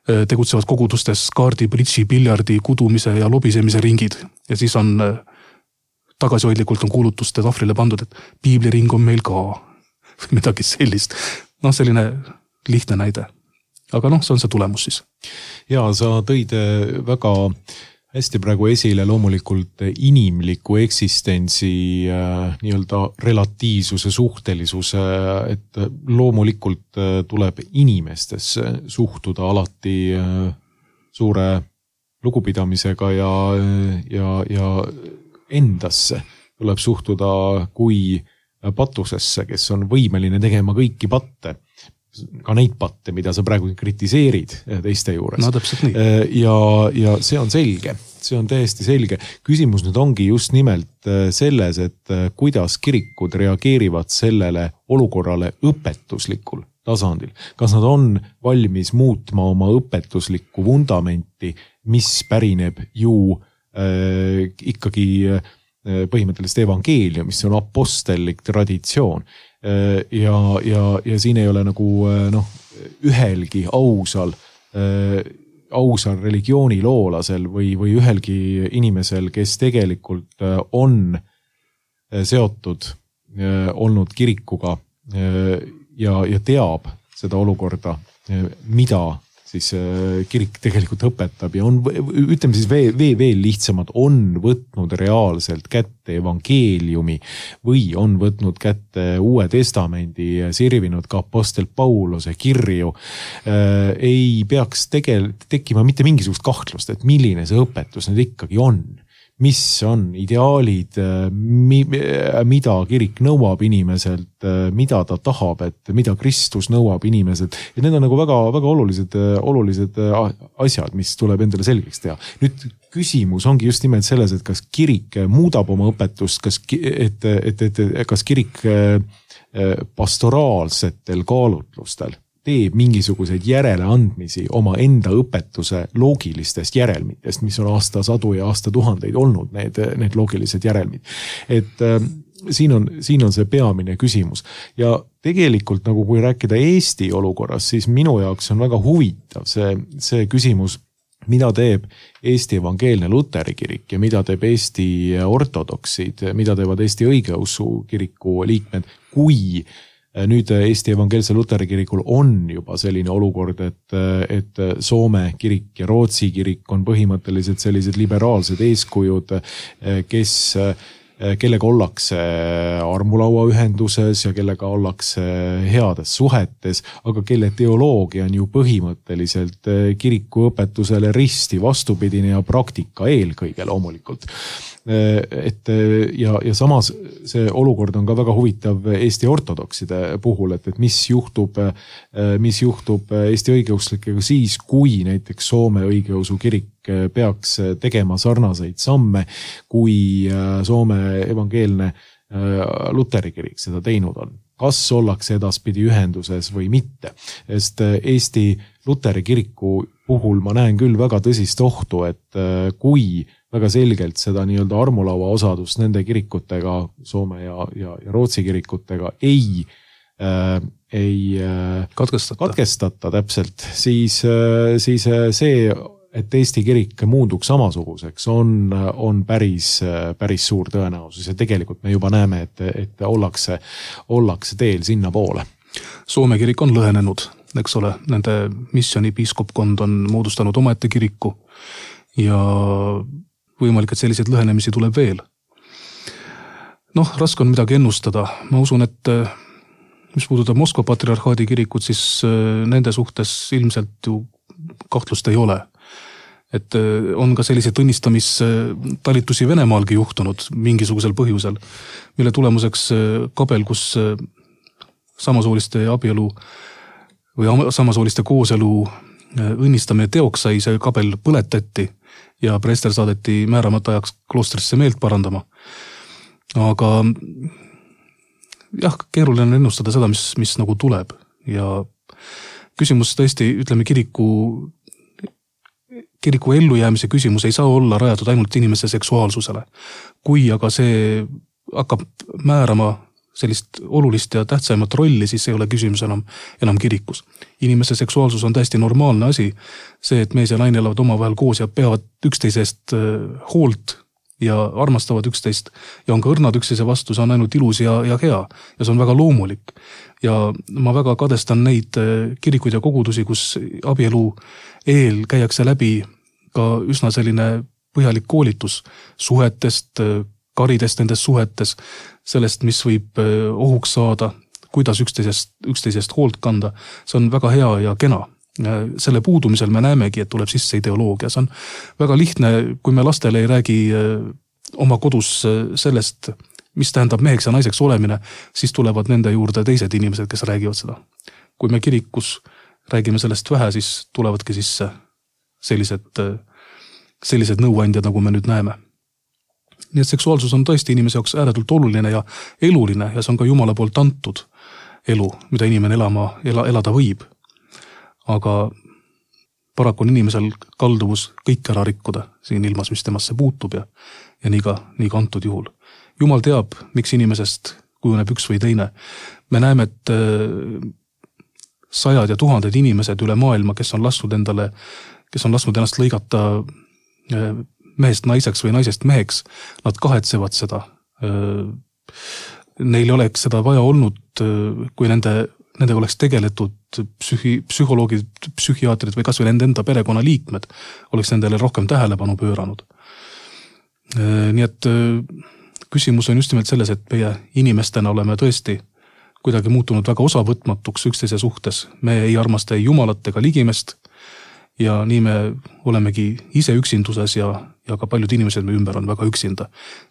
S3: tegutsevad kogudustes kaardi, bridži, piljardi, kudumise ja lobisemise ringid ja siis on tagasihoidlikult on kuulutuste tahvlile pandud, et piibliring on meil ka midagi sellist. Selline lihtne näide. Aga see on see tulemus siis.
S2: Ja sa tõid väga hästi praegu esile loomulikult inimliku eksistentsi nii-öelda relatiivsuse, suhtelisuse, et loomulikult tuleb inimestesse suhtuda alati suure lugupidamisega ja endasse tuleb suhtuda kui patusesse, kes on võimeline tegema kõiki patte. Ka neid patte, mida sa praegu kritiseerid teiste juures.
S3: No täpselt nii.
S2: Ja see on selge, see on täiesti selge. Küsimus nüüd ongi just nimelt selles, et kuidas kirikud reageerivad sellele olukorrale õpetuslikul tasandil. Kas nad on valmis muutma oma õpetuslikku vundamenti, mis pärineb ju ikkagi põhimõtteliselt evangeelium, mis on apostellik traditsioon. Ja siin ei ole nagu ühelgi ausal religiooniloolasel või ühelgi inimesel, kes tegelikult on seotud olnud kirikuga ja teab seda olukorda, mida siis kirik tegelikult õpetab ja on, ütleme siis veel lihtsamalt, on võtnud reaalselt kätte evangeeliumi või on võtnud kätte Uue Testamendi ja sirvinud ka apostel Pauluse kirju, ei peaks tekkima mitte mingisugust kahtlust, et milline see õpetus nüüd ikkagi on. Mis on ideaalid, mida kirik nõuab inimeselt, mida ta tahab, et mida Kristus nõuab inimeselt. Ja need on nagu väga, väga olulised asjad, mis tuleb endale selgeks teha. Nüüd küsimus ongi just nimelt selles, et kas kirik muudab oma õpetust, kas kirik pastoraalsetel kaalutlustel teeb mingisuguseid järeleandmisi oma enda õpetuse loogilistest järelmitest, mis on aastasadu ja aastatuhandeid olnud need loogilised järelmid. Et siin on see peamine küsimus. Ja tegelikult nagu kui rääkida Eesti olukorras, siis minu jaoks on väga huvitav see küsimus, mida teeb Eesti evangeelne Luteri kirik ja mida teeb Eesti ortodoksid, mida teevad Eesti õigeusu kiriku liikmed, kui nüüd Eesti evangeelse Luteri kirikul on juba selline olukord, et Soome kirik ja Rootsi kirik on põhimõtteliselt sellised liberaalsed eeskujud, kellega ollakse armulauaühenduses ja kellega ollakse heades suhetes, aga kelle teoloogia on ju põhimõtteliselt kiriku õpetusele risti vastupidine ja praktika eelkõige loomulikult. Ja samas see olukord on ka väga huvitav Eesti ortodokside puhul, et mis juhtub Eesti õigeuslikega siis, kui näiteks Soome õigeusu kirik peaks tegema sarnaseid samme, kui Soome evangeelne Luteri kirik seda teinud on. Kas ollakse edaspidi ühenduses või mitte? Sest Eesti Luteri kiriku puhul ma näen küll väga tõsist ohtu, et kui väga selgelt seda nii-öelda armulaua osadust nende kirikutega, Soome ja Rootsi kirikutega ei katkestata täpselt, siis see, et Eesti kirik muunduks samasuguseks, on päris suur tõenäosus ja tegelikult me juba näeme, et ollakse teel sinna poole.
S3: Soome kirik on lõhenenud, eks ole, nende missiooni piiskopkond on moodustanud omaette kiriku ja võimalik, et selliseid lõhenemisi tuleb veel. Raske on midagi ennustada. Ma usun, et mis puudutab Moskva patriarhaadi kirikut, siis nende suhtes ilmselt ju kahtlust ei ole. Et on ka selliseid õnnistamistalitusi Venemaalgi juhtunud mingisugusel põhjusel, mille tulemuseks kabel, kus samasooliste abielu või samasooliste kooselu õnnistamine teoks sai, see kabel põletati ja preester saadeti määramata ajaks kloostrisse meelt parandama. Aga jah, keeruline on ennustada seda, mis nagu tuleb. Ja küsimus tõesti, ütleme, kiriku ellujäämise küsimus ei saa olla rajatud ainult inimese seksuaalsusele. Kui aga see hakkab määrama sellist olulist ja tähtsaimat rolli, siis ei ole küsimus enam kirikus. Inimese seksuaalsus on täiesti normaalne asi. See, et mees ja naine elavad omavahel koos ja peavad üksteisest hoolt ja armastavad üksteist ja on ka õrnad üksteise vastu, see on ainult ilus ja hea ja see on väga loomulik. Ja ma väga kadestan neid kirikuid ja kogudusi, kus abielu eel käiakse läbi ka üsna selline põhjalik koolitus suhetest, karidest nendes suhetes, sellest, mis võib ohuks saada, kuidas üksteisest hoolt kanda. See on väga hea ja kena. Selle puudumisel me näemegi, et tuleb sisse ideoloogia. See on väga lihtne, kui me lastele ei räägi oma kodus sellest, mis tähendab meheks ja naiseks olemine, siis tulevad nende juurde teised inimesed, kes räägivad seda. Kui me kirikus räägime sellest vähe, siis tulevadki sisse sellised nõuandjad, nagu me nüüd näeme. Nii et seksuaalsus on tõesti inimese jaoks ääretult oluline ja eluline ja see on ka Jumala poolt antud elu, mida inimene elada võib. Aga paraku on inimesel kalduvus kõik ära rikkuda siin ilmas, mis temasse puutub ja nii ka antud juhul. Jumal teab, miks inimesest kujuneb üks või teine. Me näeme, et sajad ja tuhanded inimesed üle maailma, kes on lasknud ennast lõigata mehest naiseks või naisest meheks, nad kahetsevad seda. Neil oleks seda vaja olnud, kui nende nendega oleks tegeletud psühholoogid, psühhiaatrid või kas või nende enda perekonnaliikmed oleks nendele rohkem tähelepanu pööranud. Nii et küsimus on just nimelt selles, et meie inimestena oleme tõesti kuidagi muutunud väga osavõtmatuks üksteise suhtes. Me ei armasta ei jumalat ega ligimest ja nii me olemegi ise üksinduses ja ka paljud inimesed me ümber on väga üksinda.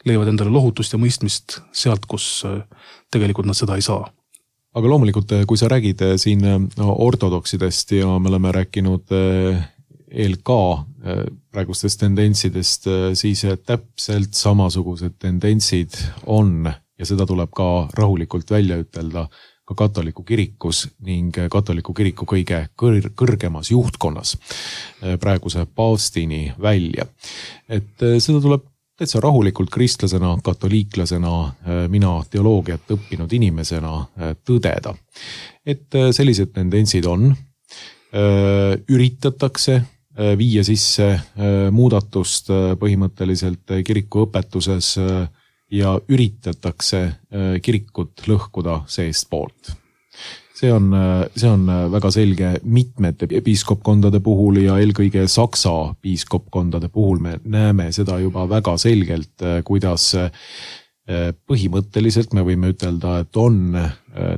S3: Leiavad endale lohutust ja mõistmist sealt, kus tegelikult nad seda ei saa.
S2: Aga loomulikult, kui sa räägid siin ortodoksidest ja me oleme rääkinud ELK praegustest tendentsidest, siis täpselt samasugused tendentsid on ja seda tuleb ka rahulikult välja ütelda ka katoliku kirikus ning katoliku kiriku kõige kõrgemas juhtkonnas praeguse paavstini välja. Et seda tuleb täitsa rahulikult kristlasena, katoliiklasena, mina teoloogiat õppinud inimesena tõdeda. Et sellised tendentsid on, üritatakse viia sisse muudatust põhimõtteliselt kiriku õpetuses ja üritatakse kirikut lõhkuda seest poolt. See on väga selge mitmete piiskopkondade puhul ja eelkõige Saksa piiskopkondade puhul me näeme seda juba väga selgelt, kuidas põhimõtteliselt me võime ütelda, et on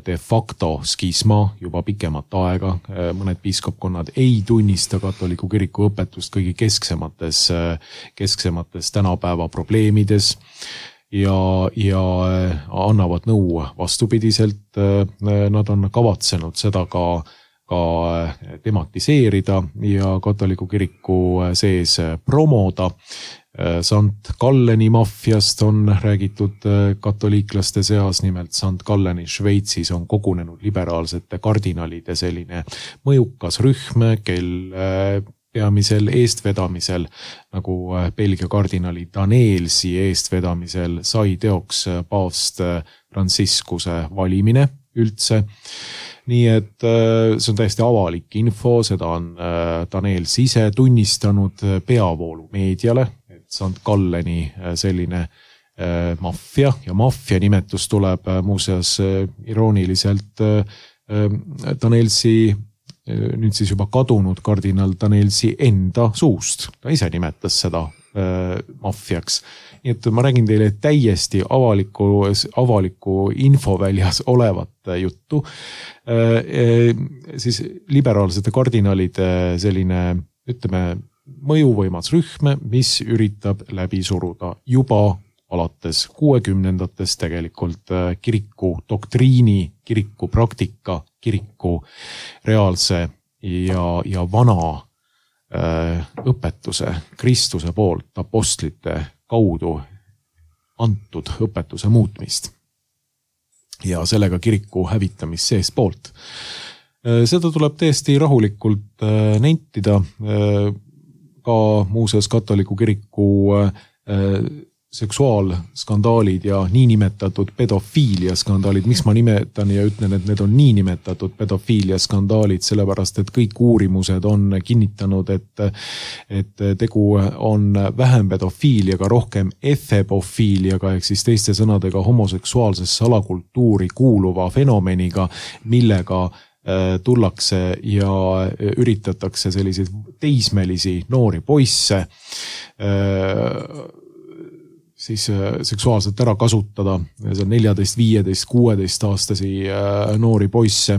S2: de facto skisma juba pikemat aega. Mõned piiskopkonnad ei tunnista katoliku kiriku õpetust kõigi kesksemates tänapäeva probleemides ja annavad nõu vastupidiselt. Nad on kavatsenud seda ka tematiseerida ja katoliku kiriku sees promoda. Sant Galleni maffiast on räägitud katoliiklaste seas, nimelt Sant Galleni Šveitsis on kogunenud liberaalsete kardinalide selline mõjukas rühm, kel peamisel eestvedamisel, nagu Belgia kardinali Danelsi eestvedamisel sai teoks paavst Franciscuse valimine üldse. Nii et see on täiesti avalik info, seda on Danels ise tunnistanud peavoolu meediale, et Sant Galleni selline maffia ja maffia nimetus tuleb muuseas irooniliselt Danelsi nüüd siis juba kadunud kardinal Danelsi enda suust. Ta ise nimetas seda maffiaks. Nii et ma räägin teile täiesti avaliku infoväljas olevat juttu. Siis liberaalsete kardinalide selline, ütleme, mõjuvõimas rühm, mis üritab läbi suruda juba alates 60-ndatest tegelikult kiriku doktriini, kiriku praktika, kiriku reaalse ja vana õpetuse Kristuse poolt apostlite kaudu antud õpetuse muutmist ja sellega kiriku hävitamist sees poolt. Seda tuleb täiesti rahulikult nentida ka muuseas katoliku kiriku seksuaalskandaalid ja niinimetatud pedofiiliaskandaalid. Miks ma nimetan ja ütlen, et need on niinimetatud pedofiiliaskandaalid, sellepärast, et kõik uurimused on kinnitanud, et tegu on vähem pedofiiliaga, rohkem efebofiiliaga, ehk siis teiste sõnadega homoseksuaalsesse alakultuuri kuuluva fenomeniga, millega tullakse ja üritatakse selliseid teismelisi noori poisse siis seksuaalselt ära kasutada, see on 14, 15, 16 aastasi noori poisse.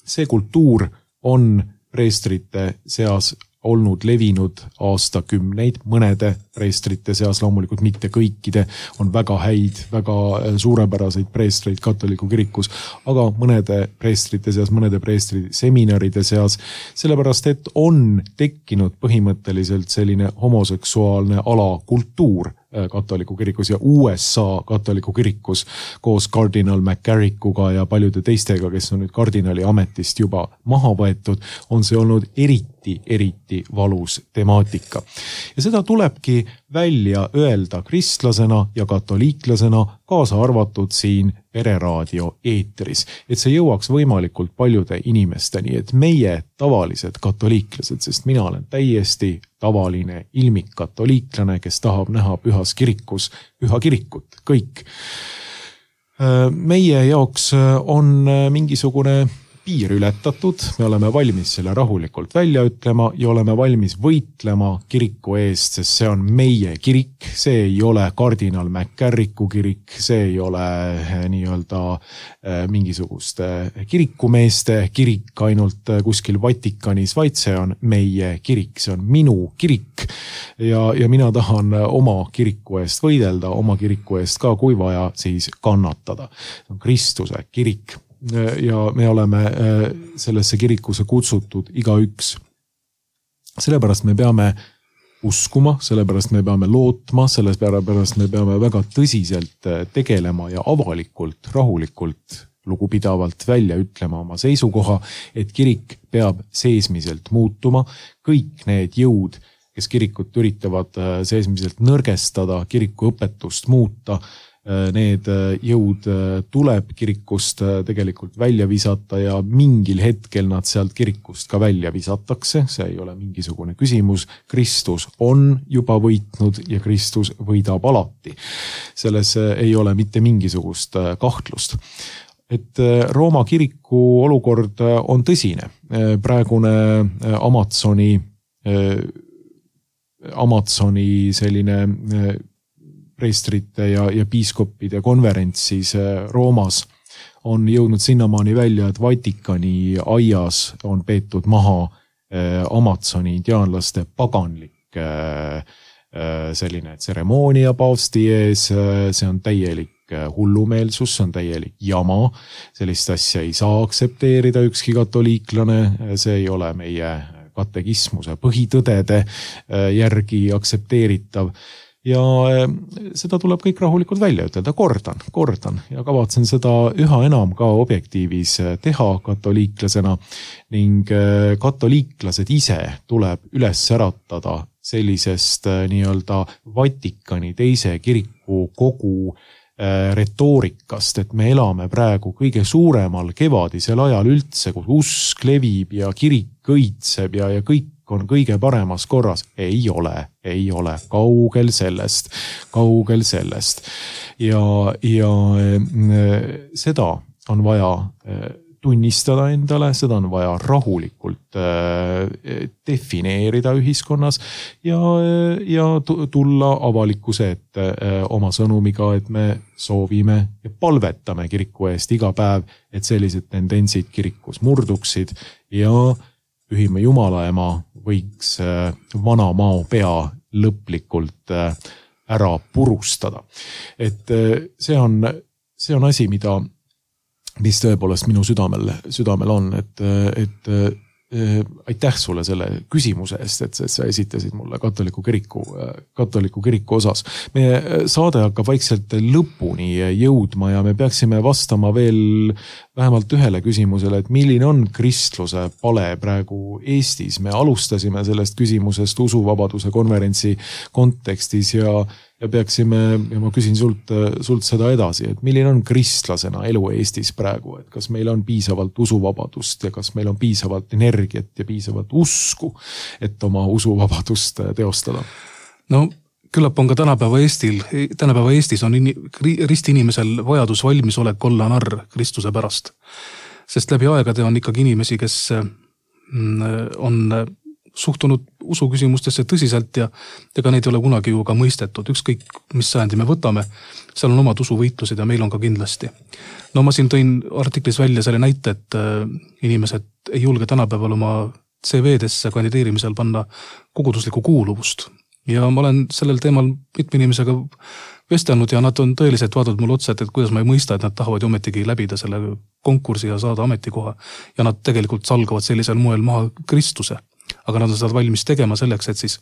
S2: See kultuur on preestrite seas olnud levinud aastakümneid, mõnede preestrite seas, loomulikult mitte kõikide, on väga häid, väga suurepäraseid preestreid katoliku kirikus, aga mõnede preestrite seas, mõnede preestri seminaride seas, sellepärast et on tekkinud põhimõtteliselt selline homoseksuaalne alakultuur katoliku kirikus ja USA katoliku kirikus koos kardinal McCarrickuga ja paljude teistega, kes on nüüd kardinali ametist juba maha võetud, on see olnud eriti valus temaatika. Ja seda tulebki välja öelda kristlasena ja katoliiklasena, kaasa arvatud siin Pereraadio eetris, et see jõuaks võimalikult paljude inimesteni, et meie tavalised katoliiklased, sest mina olen täiesti tavaline ilmik katoliiklane, kes tahab näha pühas kirikus püha kirikut, kõik. Meie jaoks on mingisugune piir ületatud, me oleme valmis selle rahulikult välja ütlema ja oleme valmis võitlema kiriku eest, sest see on meie kirik, see ei ole kardinal Mäkärriku kirik, see ei ole nii-öelda mingisuguste kirikumeeste kirik ainult kuskil Vatikanis, vaid see on meie kirik, see on minu kirik ja mina tahan oma kiriku eest võidelda, oma kiriku eest ka, kui vaja, siis kannatada. See on Kristuse kirik. Ja me oleme sellesse kirikusse kutsutud igaüks. Sellepärast me peame uskuma, sellepärast me peame lootma, sellepärast me peame väga tõsiselt tegelema ja avalikult, rahulikult, lugupidavalt välja ütlema oma seisukoha, et kirik peab seesmiselt muutuma. Kõik need jõud, kes kirikut üritavad seesmiselt nõrgestada, kiriku õpetust muuta, need jõud tuleb kirikust tegelikult välja visata ja mingil hetkel nad sealt kirikust ka välja visatakse. See ei ole mingisugune küsimus. Kristus on juba võitnud ja Kristus võidab alati. Selles ei ole mitte mingisugust kahtlust. Et Rooma kiriku olukord on tõsine. Praegune Amazoni selline preestrite ja piiskoppide konverentsis Roomas on jõudnud sinnamaani välja, et Vatikani aias on peetud maha Amazoni indiaanlaste paganlik selline tseremoonia paavsti ees, see on täielik hullumeelsus, see on täielik jama, sellist asja ei saa aksepteerida ükski katoliiklane, see ei ole meie katekismuse põhitõdede järgi aksepteeritav. Ja seda tuleb kõik rahulikult välja ütelda, kordan ja kavatsen seda üha enam ka objektiivis teha katoliiklasena ning katoliiklased ise tuleb üles äratada sellisest nii-öelda Vatikani teise kiriku kogu retoorikast, et me elame praegu kõige suuremal kevadisel ajal üldse, kus usk levib ja kirik õitseb ja kõik on kõige paremas korras. Ei ole, kaugel sellest. Ja seda on vaja tunnistada endale, seda on vaja rahulikult defineerida ühiskonnas ja tulla avalikkuse ette oma sõnumiga, et me soovime ja palvetame kiriku eest iga päev, et sellised tendentsid kirikus murduksid ja Pühime Jumala ema võiks vana mao pea lõplikult ära purustada. Et see on asi, mis tõepoolest minu südamel on, et aitäh sulle selle küsimuse eest, et sa esitasid mulle katoliku kiriku osas. Meie saade hakkab vaikselt lõpuni jõudma ja me peaksime vastama veel vähemalt ühele küsimusele, et milline on kristluse pale praegu Eestis. Me alustasime sellest küsimusest usuvabaduse konverentsi kontekstis ja peaksime, ja ma küsin sult seda edasi, et milline on kristlasena elu Eestis praegu, et kas meil on piisavalt usuvabadust ja kas meil on piisavalt energiat ja piisavalt usku, et oma usuvabadust teostada?
S3: No küllap on ka tänapäeva Eestis on ristiinimesel vajadus valmisolek olla narr Kristuse pärast. Sest läbi aegade on ikkagi inimesi, kes on suhtunud usuküsimustesse tõsiselt ja ega neid ei ole kunagi ju ka mõistetud. Ükskõik, mis sajandi me võtame, seal on omad usuvõitlused ja meil on ka kindlasti. No ma siin tõin artiklis välja selle näite, et inimesed ei julge tänapäeval oma CV-desse kandideerimisel panna koguduslikku kuuluvust. Ja ma olen sellel teemal mitme inimesega vestelnud ja nad on tõeliselt vaadanud mulle otsa, et kuidas ma ei mõista, et nad tahavad ju ometigi läbida selle konkursi ja saada ametikoha. Ja nad tegelikult salgavad sellisel moel maha Kristuse. Aga nad on seda valmis tegema selleks, et siis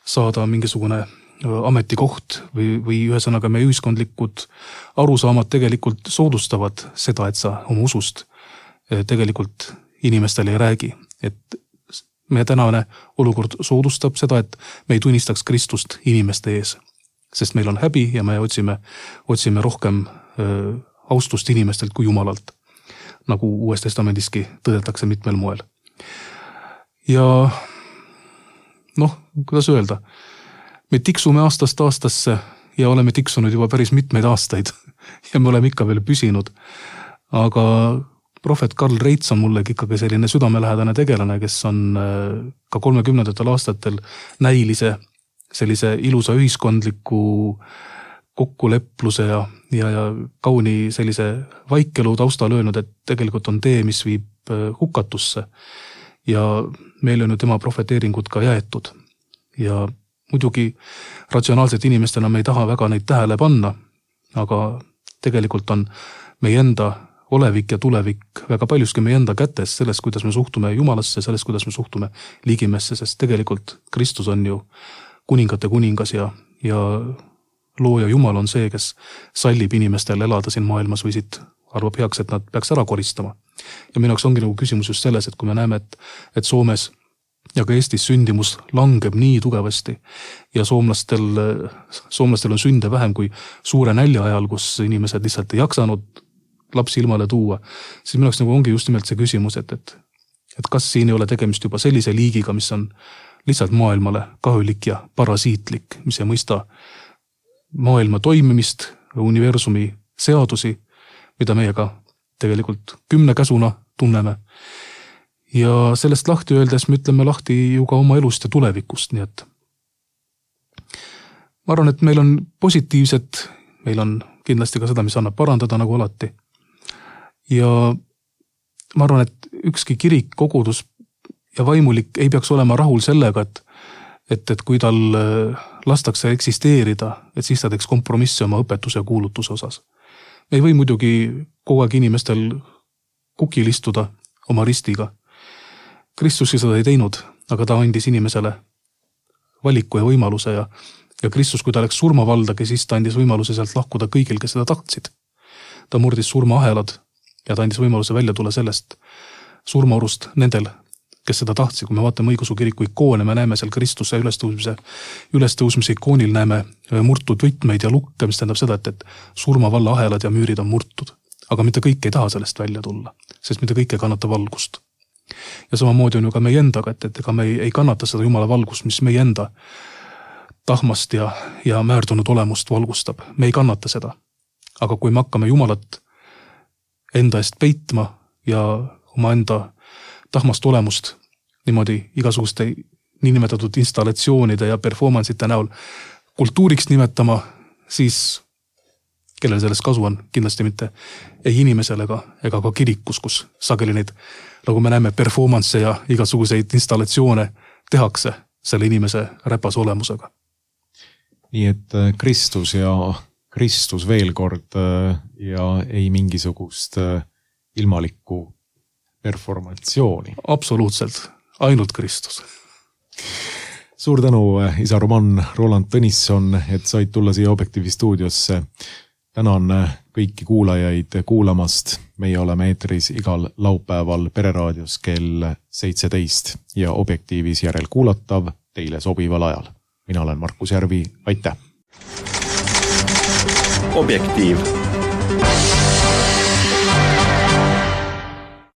S3: saada mingisugune ametikoht või ühesõnaga meie ühiskondlikud arusaamad tegelikult soodustavad seda, et sa oma usust tegelikult inimestele ei räägi. Et meie tänane olukord soodustab seda, et me ei tunnistaks Kristust inimeste ees, sest meil on häbi ja me otsime rohkem austust inimestelt kui Jumalalt, nagu Uues Testamendiski tõdetakse mitmel moel. Ja noh, kuidas öelda, me tiksume aastast aastasse ja oleme tiksunud juba päris mitmeid aastaid ja me oleme ikka veel püsinud. Aga prohvet Karl Reits on mullegi ikkagi selline südamelähedane tegelane, kes on ka 30. aastatel näilise sellise ilusa ühiskondliku kokkulepluse ja kauni sellise vaikelu taustal öelnud, et tegelikult on tee, mis viib hukatusse. Ja meil on ju tema profeteeringud ka jäetud. Ja muidugi ratsionaalselt inimestena me ei taha väga neid tähele panna, aga tegelikult on meie enda olevik ja tulevik väga paljuski meie enda kätes sellest, kuidas me suhtume Jumalasse, sellest, kuidas me suhtume liigimesse, sest tegelikult Kristus on ju kuningate kuningas ja looja Jumal on see, kes sallib inimestel elada siin maailmas või siit arvab heaks, et nad peaks ära koristama. Ja minu jaoks ongi nagu küsimus just selles, et kui me näeme, et Soomes ja ka Eestis sündimus langeb nii tugevasti ja soomlastel on sünde vähem kui suure nälja ajal, kus inimesed lihtsalt ei jaksanud lapsi ilmale tuua, siis minu jaoks nagu ongi just nimelt see küsimus, et kas siin ei ole tegemist juba sellise liigiga, mis on lihtsalt maailmale kahjulik ja parasiitlik, mis ei mõista maailma toimimist, universumi seadusi, mida meiega tegelikult 10 käsuna tunneme. Ja sellest lahti öeldes me ütleme lahti ju ka oma elust ja tulevikust, nii et ma arvan, et meil on positiivset, meil on kindlasti ka seda, mis annab parandada nagu alati. Ja ma arvan, et ükski kirik, kogudus ja vaimulik ei peaks olema rahul sellega, et kui tal lastakse eksisteerida, et siis ta teeks kompromissi oma õpetuse ja kuulutuse osas. Me ei või muidugi kogu aeg inimestel kukil istuda oma ristiga. Kristus seda ei teinud, aga ta andis inimesele valiku ja võimaluse ja Kristus, kui ta läks surmavaldagi, siis ta andis võimaluse sealt lahkuda kõigil, kes seda tahtsid. Ta murdis surmaahelad ja ta andis võimaluse välja tulla sellest surmaorust nendel, kes seda tahtsid. Kui me vaatame õigeusu kiriku ikoone, me näeme seal Kristuse ülestõusmise ikoonil näeme murtud võtmeid ja lukke, mis tähendab seda, et surmavalla ahelad ja müürid on murtud. Aga mitte kõik ei taha sellest välja tulla, sest mitte kõik ei kannata valgust. Ja samamoodi on ju ka meie endaga, et ega me ei kannata seda Jumala valgust, mis meie enda tahmast ja määrdunud olemust valgustab. Me ei kannata seda. Aga kui me hakkame Jumalat enda eest peitma ja oma enda tahmast olemust niimoodi igasuguste niinimetatud installatsioonide ja performance'ite näol kultuuriks nimetama, siis kellel sellest kasu on, kindlasti mitte ei inimesel ega ka kirikus, kus sageli neid, nagu me näeme, performance ja igasuguseid installatsioone tehakse selle inimese räpas olemusega.
S2: Nii et Kristus veel kord ja ei mingisugust ilmalikku performatsiooni.
S3: Absoluutselt, ainult Kristus.
S2: Suur tänu, isa Roman Roland Tõnisson, et said tulla siia Objektiivi stuudiosse. Tänan kõiki kuulajaid kuulamast. Meie oleme eetris igal laupäeval Pereraadios kell 17 ja Objektiivis järelkuulatav teile sobival ajal. Mina olen Markus Järvi, aitäh!
S1: Objektiiv.